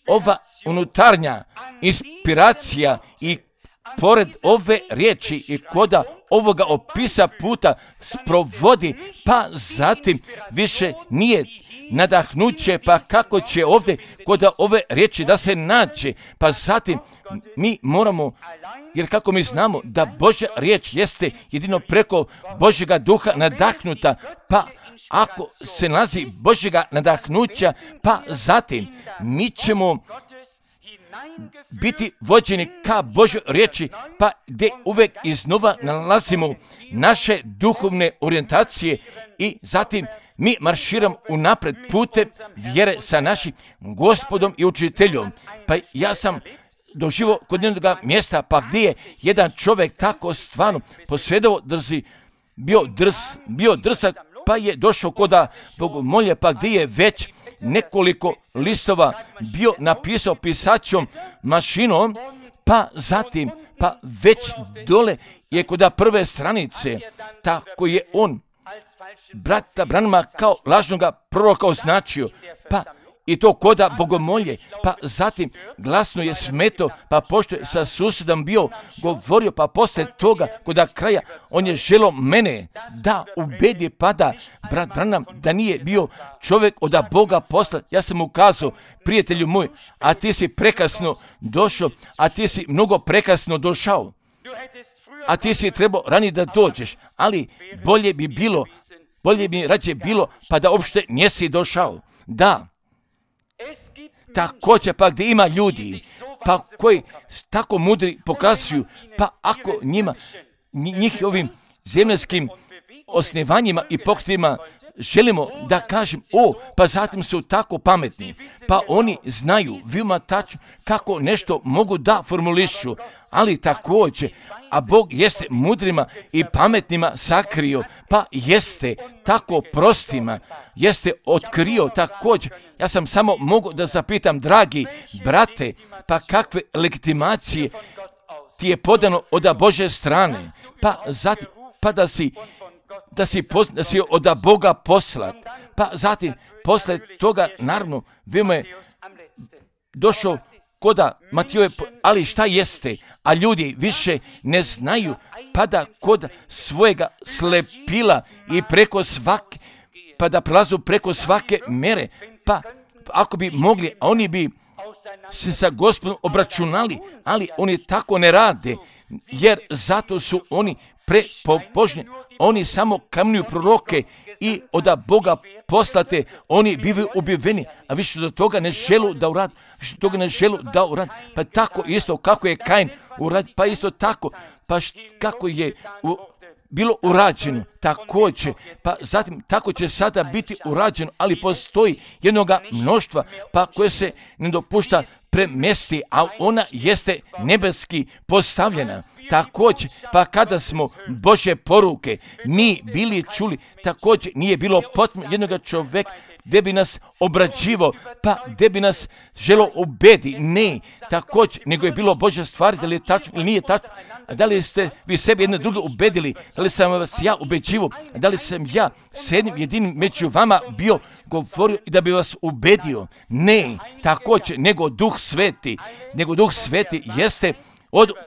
ova unutarnja inspiracija i pored ove riječi i koda ovoga opisa puta sprovodi, pa zatim više nije nadahnuće, pa kako će ovdje koda ove riječi da se nađe, pa zatim mi moramo, jer kako mi znamo da Božja riječ jeste jedino preko Božjega duha nadahnuta, pa ako se nalazi Božjega nadahnuća, pa zatim mi ćemo biti vođeni ka Božoj riječi, pa gdje uvek iznova nalazimo naše duhovne orijentacije i zatim mi marširamo unapred putem vjere sa našim Gospodom i učiteljom. Pa ja sam doživio kod jednog mjesta, pa gdje je jedan čovjek tako stvarno posvjedovao bio drsak, pa je došao koda bogomolje, pa gdje je već nekoliko listova bio napisao pisaćom mašinom, pa zatim, pa već dole je koda prve stranice, tako je on brata Branhama kao lažnoga proroka označio, pa i to koda bogomolje, pa zatim glasno je smeto, pa pošto je sa susjedom bio govorio, pa posle toga koda kraja on je želo mene da ubedi, pa da brat Branham da nije bio čovjek od Boga posla. Ja sam mu kazao, prijatelju moj, a ti si prekasno došao, a ti si mnogo prekasno došao, a ti si trebao ranije da dođeš, ali bolje bi rađe bilo pa da uopšte njesi došao. Da, također pa gdje ima ljudi, pa koji tako mudri pokazuju, pa ako njih ovim zemljskim osnivanjima i pokretima želimo da kažem, pa zatim su tako pametni, pa oni znaju veoma tačno kako nešto mogu da formulišu, ali također, a Bog jeste mudrima i pametnima sakrio, pa jeste tako prostima, jeste otkrio također. Ja sam samo mogu da zapitam, dragi brate, pa kakve legitimacije ti je podano od Božje strane, pa zatim, pa da si od Boga poslat, pa zatim, posle toga, naravno, veoma je došao koda Matijove, ali šta jeste, a ljudi više ne znaju, pa da kod svojega slepila i preko svake, pa da prelazu preko svake mere, pa ako bi mogli, a oni bi se sa Gospodom obračunali, ali oni tako ne rade, jer zato su oni prepobožni, oni samo kamenuju proroke i od Boga poslate, oni bivaju ubiveni, a više do toga ne želu da urad, pa tako isto kako je Kain urad, pa isto tako, pa kako je bilo urađeno, također, pa zatim tako će sada biti urađeno, ali postoji jednoga mnoštva, pa koje se ne dopušta premesti, a ona jeste nebeski postavljena. Također, pa kada smo Božje poruke mi bili čuli, također nije bilo potrebno jednoga čovjeka gdje bi nas obrađivo, pa gdje bi nas želo ubedi, ne, također, nego je bilo Božja stvar, da li je tačno ili nije tačno, a da li ste vi sebi jedne druge ubedili, da li sam vas ja ubeđivo, a da li sam ja s jednim jedinim među vama bio govorio i da bi vas ubedio, ne, također, nego Duh Sveti jeste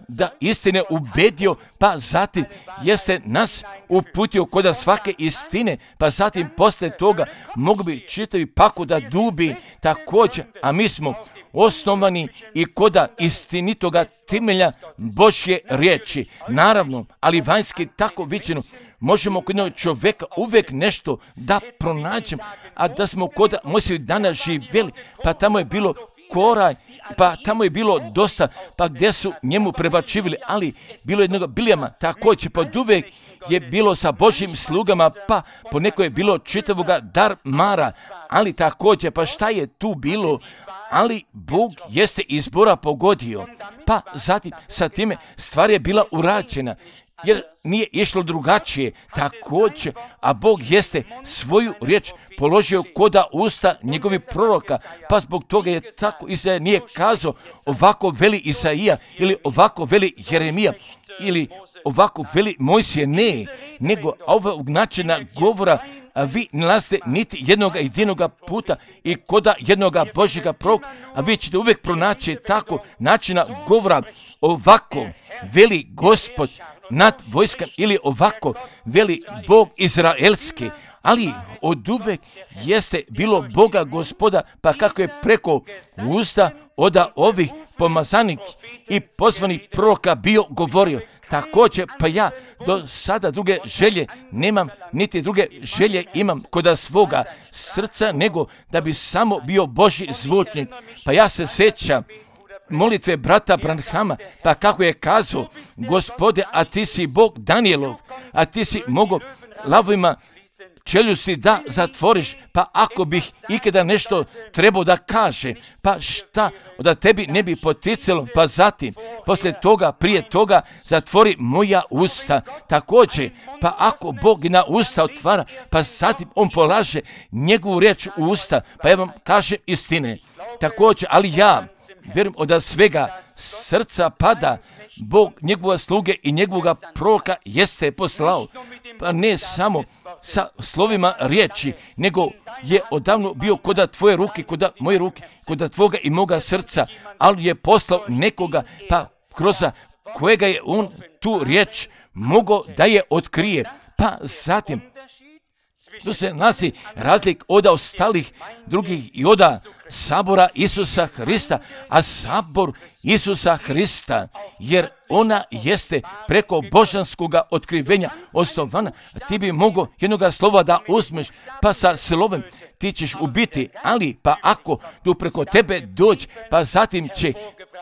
da istine ubedio, pa zatim jeste nas uputio kod svake istine, pa zatim posle toga mogu bi čitavi paku da dubi također, a mi smo osnovani i koda istinitoga temelja Božje riječi. Naravno, ali vanjski tako viđeno, možemo kod jednog čovjeka uvijek nešto da pronađemo, a da smo kod Mojsijevih dana živjeli, pa tamo je bilo koraj, pa tamo je bilo dosta, pa gdje su njemu prebačivili, ali bilo jednog Bilijama, također pod uvijek je bilo sa Božjim slugama, pa poneko je bilo čitavoga Darmara, ali također, pa šta je tu bilo, ali Bog jeste izbora pogodio, pa zatim sa time stvar je bila urađena, jer nije išlo drugačije, također, a Bog jeste svoju riječ položio koda usta njegovih proroka, pa zbog toga je tako Izaija nije kazao ovako veli Izaija ili ovako veli Jeremija ili ovako veli Mojsije, ne, nego ovog načina govora a vi nalazite niti jedinoga puta i koda jednoga Božjega proroka, a vi ćete uvijek pronaći tako načina govora, ovako veli Gospod nad vojskom ili ovako veli Bog izraelski, ali od uvek jeste bilo Boga Gospoda, pa kako je preko usta od ovih pomazanih i pozvanih proroka bio govorio. Također, pa ja do sada druge želje nemam, niti druge želje imam kod svoga srca, nego da bi samo bio Božji zvučnik. Pa ja se sjećam molitve brata Branhama, pa kako je kazao, Gospode, a ti si Bog Danielov, a ti si mogo lavovima čeljusti da zatvoriš, pa ako bih ikada nešto trebao da kaže, pa šta da tebi ne bi poticalo, pa zatim, poslije toga, prije toga, zatvori moja usta. Također, pa ako Bog na usta otvara, pa zatim on polaže njegovu riječ u usta, pa ja vam kažem istine. Također, ali ja vjerujem od svega srca pada, Bog njegova sluge i njegovoga proroka jeste poslao, pa ne samo sa slovima riječi, nego je odavno bio koda tvoje ruke, koda moje ruke, koda tvoga i moga srca, ali je poslao nekoga, pa kroz kojega je on tu riječ mogao da je otkrije, pa zatim tu se nalazi razlik od ostalih drugih i od sabora Isusa Hrista, a sabor Isusa Hrista, jer ona jeste preko božanskoga otkrivenja osnovana, ti bi mogao jednoga slova da uzmeš, pa sa slovem ti ćeš ubiti, ali pa ako tu preko tebe dođe, pa zatim će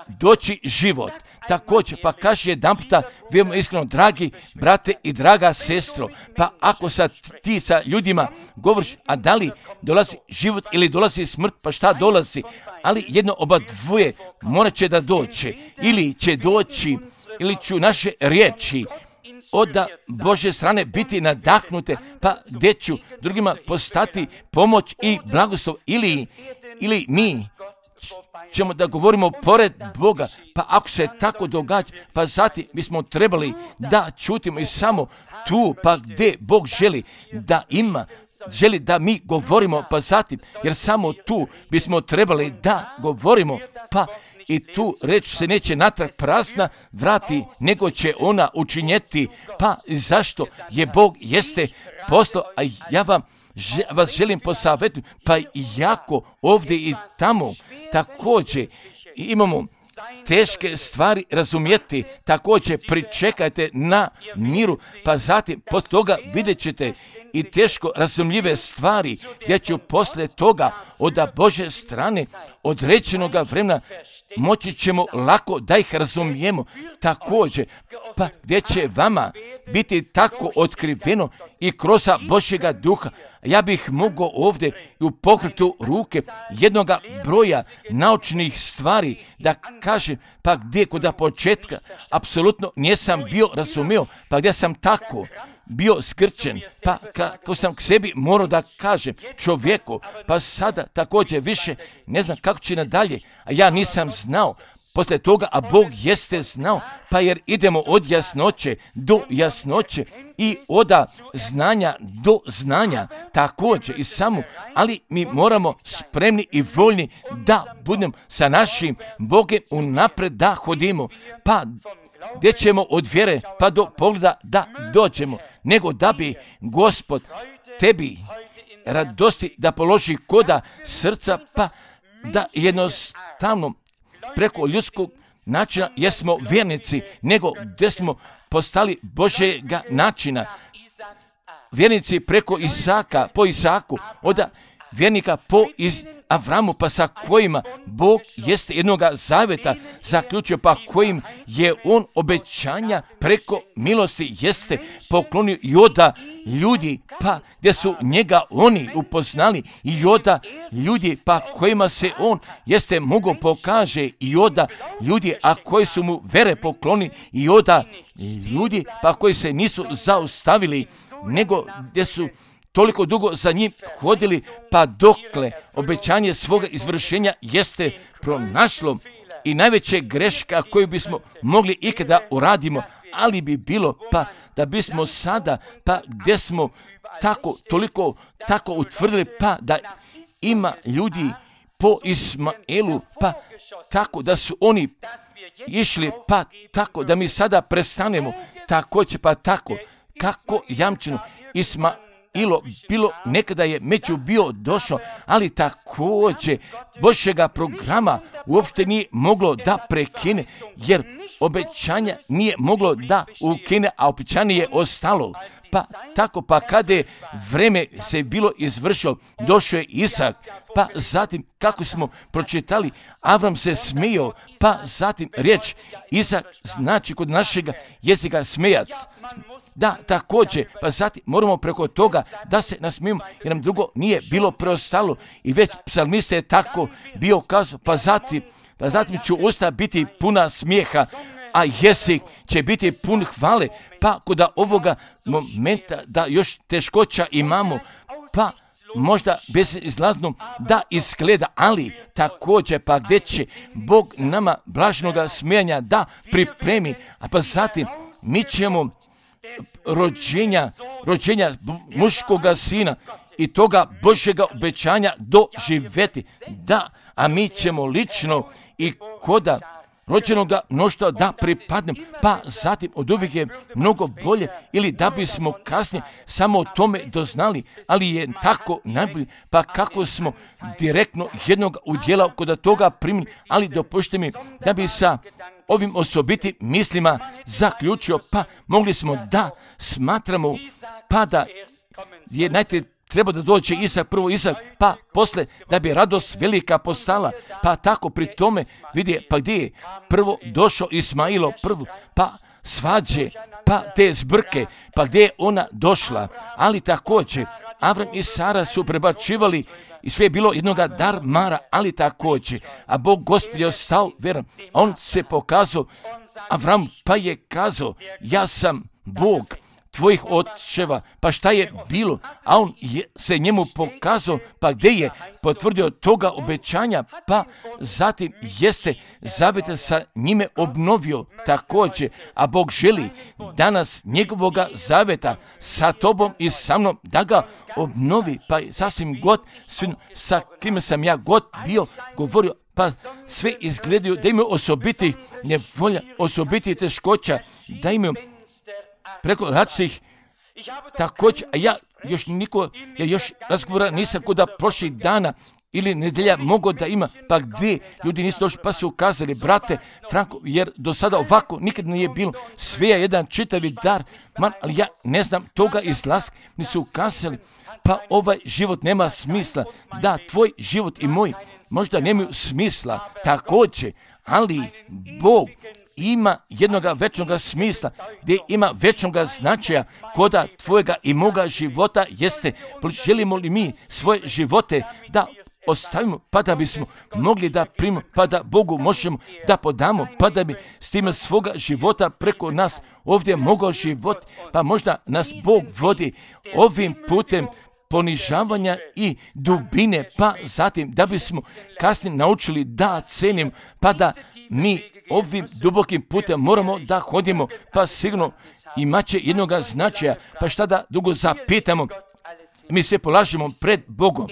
doći život. Također, pa kaži jedan puta, vjerujemo iskreno, dragi brate i draga sestro, pa ako sad ti sa ljudima govoriš, a da li dolazi život ili dolazi smrt, pa šta dolazi, ali jedno oba dvoje morat će da doće, ili će doći, ili ću naše riječi od Božje strane biti nadahnute, pa gdje ću drugima postati pomoć i blagoslov, ili mi ćemo da govorimo pored Boga, pa ako se tako događa, pa zatim mi smo trebali da čutimo i samo tu, pa gdje Bog želi da mi govorimo, pa zatim, jer samo tu bismo trebali da govorimo, pa i tu reč se neće natrag prazna vrati, nego će ona učinjeti, pa zašto je Bog jeste poslao, a ja vas želim posavjetuti, pa jako ovdje i tamo, također imamo teške stvari razumjeti, također pričekajte na miru, pa zatim poslije toga vidjet ćete i teško razumljive stvari, gdje ću poslije toga od Božje strane određenoga vremena moći ćemo lako da ih razumijemo, također, pa gdje će vama biti tako otkriveno i kroz Božjega duha. Ja bih mogao ovdje u pokretu ruke jednoga broja naučnih stvari da kažem, pa gdje kod početka apsolutno nisam bio razumio, pa gdje sam tako bio skrčen, pa kako sam k sebi morao da kažem čovjeku, pa sada također više ne znam kako će nadalje, a ja nisam znao. Poslije toga, a Bog jeste znao, pa jer idemo od jasnoće do jasnoće i od znanja do znanja, također i samo, ali mi moramo spremni i voljni da budemo sa našim Bogom unapred da hodimo, pa gdje ćemo od vjere pa do pogleda da dođemo, nego da bi Gospod tebi radosti da položi koda srca, pa da jednostavno preko ljudskog načina jesmo vjernici, nego gdje smo postali Božjega načina. Vjernici preko Isaka, po Isaku, od vjernika po Avramu, pa sa kojima Bog jeste jednoga zaveta zaključio, pa kojim je on obećanja preko milosti jeste poklonio i od ljudi, pa gdje su njega oni upoznali i od ljudi, pa kojima se on jeste mogao pokaže i od ljudi, a koji su mu vere pokloni i od ljudi, pa koji se nisu zaustavili, nego gdje su toliko dugo za njim hodili, pa dokle obećanje svoga izvršenja jeste pronašlo. I najveća greška koju bismo mogli ikada uradimo, ali bi bilo pa da bismo sada, pa gdje smo toliko utvrdili, pa da ima ljudi po Ismaelu, pa tako da su oni išli, pa tako da mi sada prestanemo, također pa tako, kako jamčeno Ismailo bilo nekada je među bio došao, ali također Božjega programa uopšte nije moglo da prekine, jer obećanja nije moglo da ukine, a obećanje je ostalo. Pa tako, pa kada je vreme se bilo izvršilo, došao je Isak, pa zatim kako smo pročitali, Avram se smijao, pa zatim riječ Isak znači kod našega jezika smijat. Da, također, pa zatim moramo preko toga da se nasmijemo, jer nam drugo nije bilo preostalo. I već psalmista je tako bio kazao, pa zatim ću usta biti puna smijeha, a jezik će biti pun hvale, pa kod ovoga momenta da još teškoća imamo, pa možda bezizlazno da izgleda, ali također pa gdje će Bog nama blaženoga smijanja da pripremi, a pa zatim mi ćemo rođenja muškoga sina i toga Božjega obećanja doživjeti, da, a mi ćemo lično i koda rođenoga mnoštva da pripadnem, pa zatim od uvijek je mnogo bolje, ili da bismo kasnije samo o tome doznali, ali je tako najbolje, pa kako smo direktno jednog udjela kod toga primili, ali dopušte mi da bi sa ovim osobitim mislima zaključio, pa mogli smo da smatramo, pa da je najprije treba da dođe prvo Isak, pa posle da bi radost velika postala, pa tako pri tome vidi, pa gdje je prvo došao Ismailo, pa svađe, pa te zbrke, pa gdje je ona došla, ali također Avram i Sara su prebačivali i sve je bilo jednoga dar mara, ali također, a Bog Gospod je ostao vjeran, on se pokazao, Avram pa je kazao, ja sam Bog tvojih očeva, pa šta je bilo, a on se njemu pokazao, pa gdje je potvrdio toga obećanja, pa zatim jeste zaveta sa njime obnovio također, a Bog želi danas njegovoga zaveta sa tobom i sa mnom da ga obnovi, pa sasvim god sa kime sam ja god bio govorio, pa sve izgledaju da imaju osobiti nevolja, osobiti teškoća, da imaju preko različitih također, a ja još razgovora nisam kuda prošlih dana ili nedjelja mogao da ima, pa gdje ljudi nisu došli, pa su ukazali, brate Franko, jer do sada ovako nikad nije bilo, sve je jedan čitavi dar, ali ja ne znam toga izlaska, mi su ukazali, pa ovaj život nema smisla, da, tvoj život i moj možda nemaju smisla, također, ali Bog ima jednoga večnoga smisla, gdje ima večnoga značaja koda tvojega i moga života jeste. Želimo li mi svoje živote da ostavimo, pa da bismo mogli da primimo, pa da Bogu možemo da podamo, pa da bi s time svoga života preko nas ovdje mogao život, pa možda nas Bog vodi ovim putem ponižavanja i dubine, pa zatim da bismo kasnije naučili da cenim, pa da mi ovim dubokim putem moramo da hodimo, pa sigurno imat će jednoga značaja, pa šta da dugo zapitamo, mi se polažemo pred Bogom.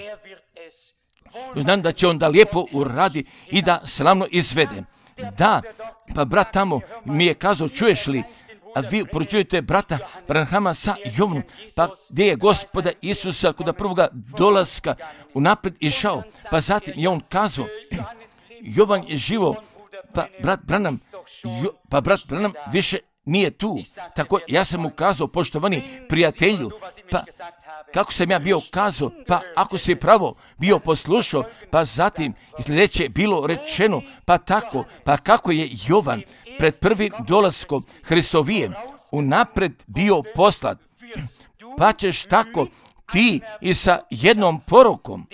Znam da će on da lijepo uradi i da slavno izvede. Da, pa brat tamo mi je kazao, čuješ li, a vi poručujete brata Branhama sa Jovanom, pa gdje je Gospoda Isusa kod prvoga dolaska unaprijed išao, pa zatim je on kazao, Jovan je živo, pa brat Branham više nije tu. Tako ja sam mu kazao, poštovani prijatelju, pa kako sam ja bio kazao, pa ako si pravo bio poslušao, pa zatim sljedeće bilo rečeno, pa tako, pa kako je Jovan pred prvim dolaskom Hristovijem unaprijed bio poslat, pa ćeš tako ti i sa jednom porukom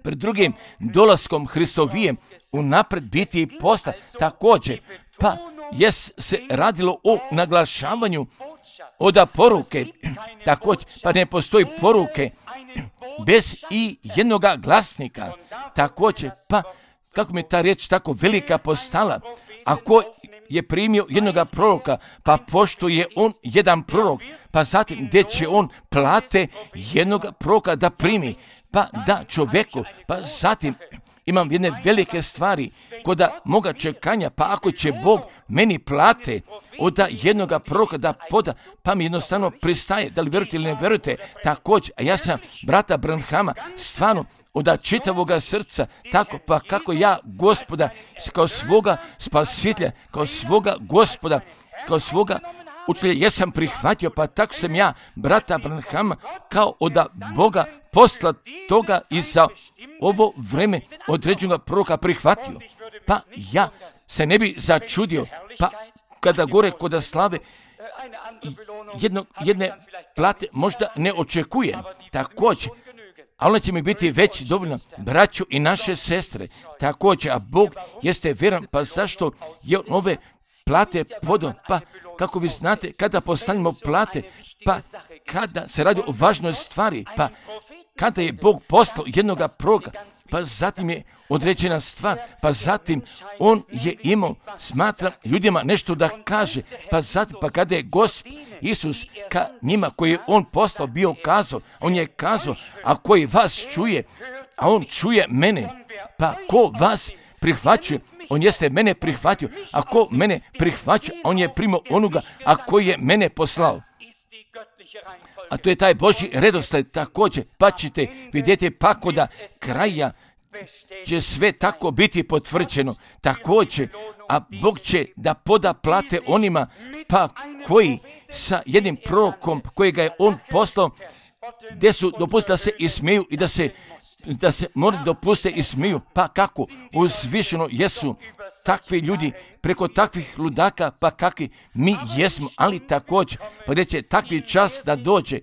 pred drugim dolaskom Hristovijem unaprijed biti poslat. Također, pa je se radilo o naglašavanju oda poruke, također, pa ne postoji poruke bez i jednoga glasnika, također, pa kako mi je ta riječ tako velika postala, ako je primio jednoga proroka, pa pošto je on jedan prorok, pa zatim gdje će on plate jednoga proroka da primi, pa da čovjeku, pa zatim imam jedne velike stvari koda moga čekanja, pa ako će Bog meni plate od jednoga proroka da poda, pa mi jednostavno pristaje, da li vjerujete ili ne vjerujete, također, a ja sam brata Branhama stvarno od čitavoga srca, tako pa kako ja Gospoda kao svoga spasitelja, kao svoga Gospoda, kao svoga učitelja, ja sam prihvatio, pa tako sam ja brata Branhama kao od Boga posla toga i za ovo vreme određenog proroka prihvatio. Pa ja se ne bi začudio, pa kada gore kod slave jedne plate možda ne očekujem, također, a ona će mi biti već dovoljno, braću i naše sestre, također, a Bog jeste vjeran, pa zašto je ove plate podon, pa kako vi znate, kada postavljamo plate, pa kada se radi o važnoj stvari, pa kada je Bog poslao jednoga proroka, pa zatim je određena stvar, pa zatim on je imao, smatram, ljudima nešto da kaže, pa zatim, pa kada je Gospod Isus ka njima koji je on poslao bio kazao, on je kazao, a koji vas čuje, a on čuje mene, pa ko vas prihvaćuje, on jeste mene prihvatio, a ko mene prihvaća, on je primio onoga, a koji je mene poslao. A to je taj Božji redoslijed također, pa ćete vidjeti pa koda kraja će sve tako biti potvrđeno također, a Bog će da poda plate onima pa koji sa jednim prorokom kojega je on poslao, gdje su dopustili da se ismiju i da se moraju dopuste i smiju, pa kako uzvišeno jesu takvi ljudi preko takvih ludaka, pa kakvi mi jesmo, ali također, pa gdje će takvi čas da dođe,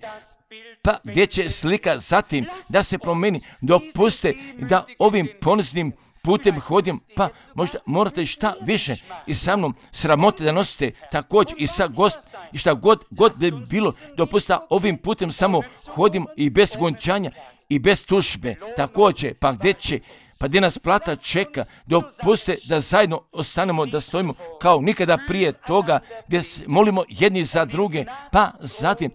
pa gdje će slika zatim da se promeni, dopuste da ovim poniznim putem hodim, pa možda morate šta više i sa mnom sramote da nosite također i sa i šta god bi bilo, dopustite ovim putem samo hodim i bez gončanja i bez tužbe, također, pa gdje nas plata čeka, dopuste da zajedno ostanemo, da stojimo kao nikada prije toga, gdje se molimo jedni za druge, pa zatim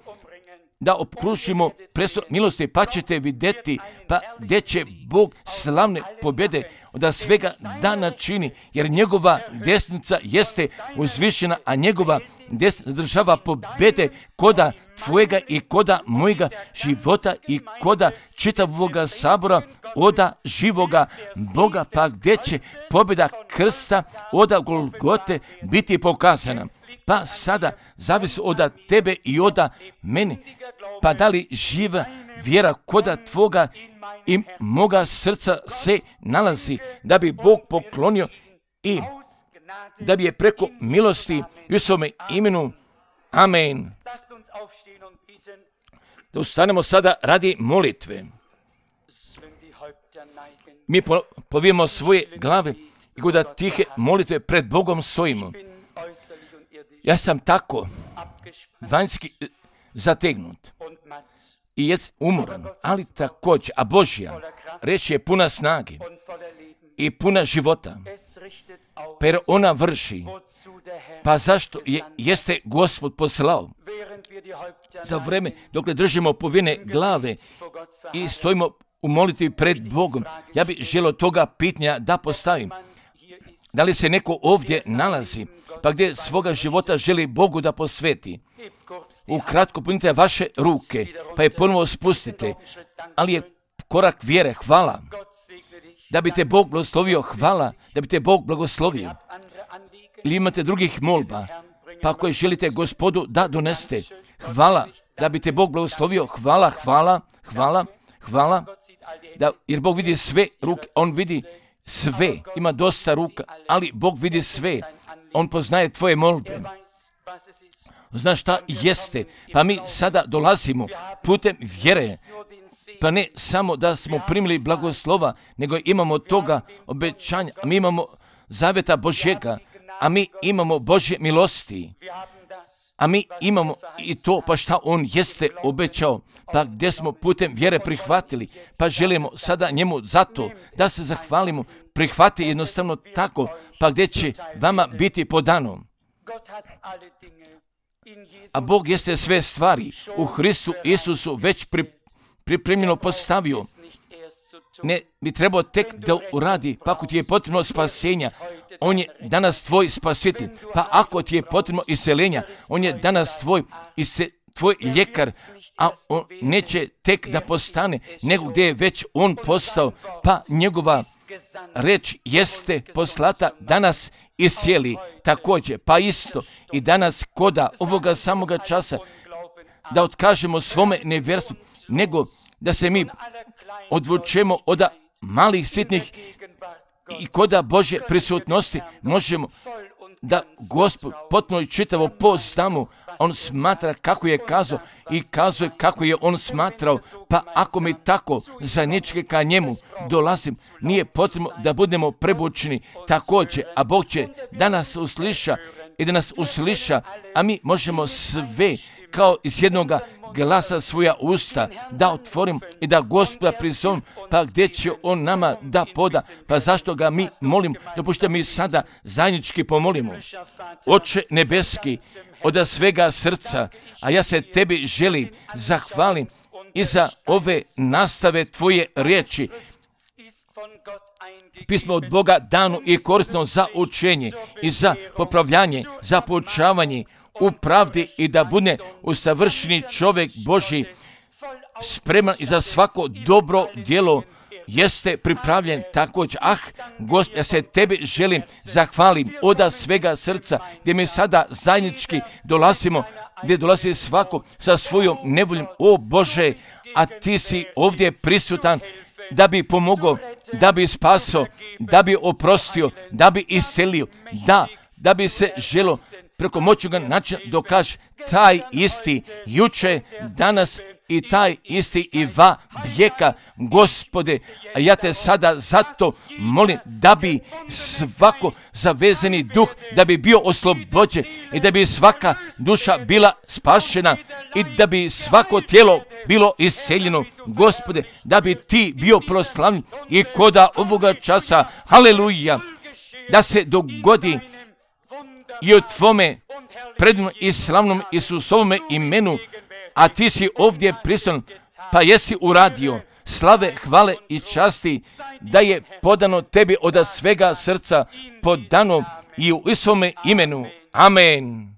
da okružimo prestor milosti, pa ćete vidjeti pa gdje će Bog slavne pobjede od svega dana čini, jer njegova desnica jeste uzvišena, a njegova desnica zadržava pobjede koda tvojega i koda mojega života i koda čitavoga sabora oda živoga Boga, pa gdje će pobjeda krsta oda Golgote biti pokazana. Pa sada zavisi od tebe i od mene, pa da li živa vjera koda tvoga i moga srca se nalazi, da bi Bog poklonio i da bi je preko milosti u svome imenu. Amen. Da ustanemo sada radi molitve. Mi povijemo svoje glave i kod tihe molitve pred Bogom stojimo. Ja sam tako vanjski zategnut i umoran, ali također, a Božja reč je puna snage i puna života, pa jer ona vrši. Pa zašto jeste Gospod poslao? Za vreme dok ne držimo povijene glave i stojimo u molitvi pred Bogom, ja bih želio toga pitanja da postavim. Da li se neko ovdje nalazi, pa gdje svoga života želi Bogu da posveti? Ukratko punite vaše ruke, pa je ponovo spustite, ali je korak vjere, hvala. Da bi te Bog blagoslovio, hvala, da bi te Bog blagoslovio. Ili imate drugih molba, pa ako želite Gospodu da doneste, hvala, da bi te Bog blagoslovio, hvala, jer Bog vidi sve ruke, on vidi sve, ima dosta ruka, ali Bog vidi sve, on poznaje tvoje molbe. Znaš šta jeste, pa mi sada dolazimo putem vjere, pa ne samo da smo primili blagoslova, nego imamo toga obećanja, mi imamo zaveta Božjega, a mi imamo Božje milosti, a mi imamo i to pa šta on jeste obećao, pa gdje smo putem vjere prihvatili, pa želimo sada njemu zato da se zahvalimo, prihvati jednostavno tako, pa gdje će vama biti podano. A Bog jeste sve stvari u Hristu Isusu već pripremljeno postavio. Ne bi trebao tek da uradi, pa ako ti je potrebno spasenja, on je danas tvoj spasitelj. Pa ako ti je potrebno iseljenja, on je danas tvoj ljekar, a on neće tek da postane, nego gdje je već on postao, pa njegova reč jeste poslata danas iscijeli. Također, pa isto i danas koda ovoga samoga časa da otkažemo svome nevjerstvu, nego da se mi odvučemo od malih sitnih i koda Božje prisutnosti možemo da Gospod potpuno i čitavo poznamo. On smatra kako je kazao i kazuje kako je on smatrao, pa ako mi tako zajednički ka njemu dolazim, nije potrebno da budemo prebučeni također, a Bog će da nas usliša i da nas usliša, a mi možemo sve kao iz jednoga glasa svoja usta da otvorim i da Gospoda prizovem, pa gdje će on nama da poda, pa zašto ga mi molim, dopušte mi sada zajednički pomolimo. Oče nebeski, od svega srca, a ja se tebi želim zahvalim i za ove nastave tvoje riječi. Pismo od Boga dano i korisno za učenje i za popravljanje, za poučavanje u pravdi i da bude usavršeni čovjek Božji, spreman i za svako dobro djelo jeste pripravljen također. Gospod, ja se tebi želim zahvalim od svega srca, gdje mi sada zajednički dolazimo, gdje dolazi svako sa svojom nevoljom. O Bože, a ti si ovdje prisutan da bi pomogao, da bi spasao, da bi oprostio, da bi iscelio, da bi se želo preko moćnoga načina dokaže taj isti juče, danas i taj isti i va vijeka. Gospode, a ja te sada zato molim da bi svako zavezani duh, da bi bio oslobođen i da bi svaka duša bila spašena i da bi svako tijelo bilo isceljeno. Gospode, da bi ti bio proslavljen i koda ovoga časa, haleluja, da se dogodi i o tvome predivnom i slavnom Isusovome imenu. a ti si ovdje prisutan, pa jesi uradio. Slave, hvale i časti da je podano tebi od svega srca, podano i u Isovome imenu. Amen.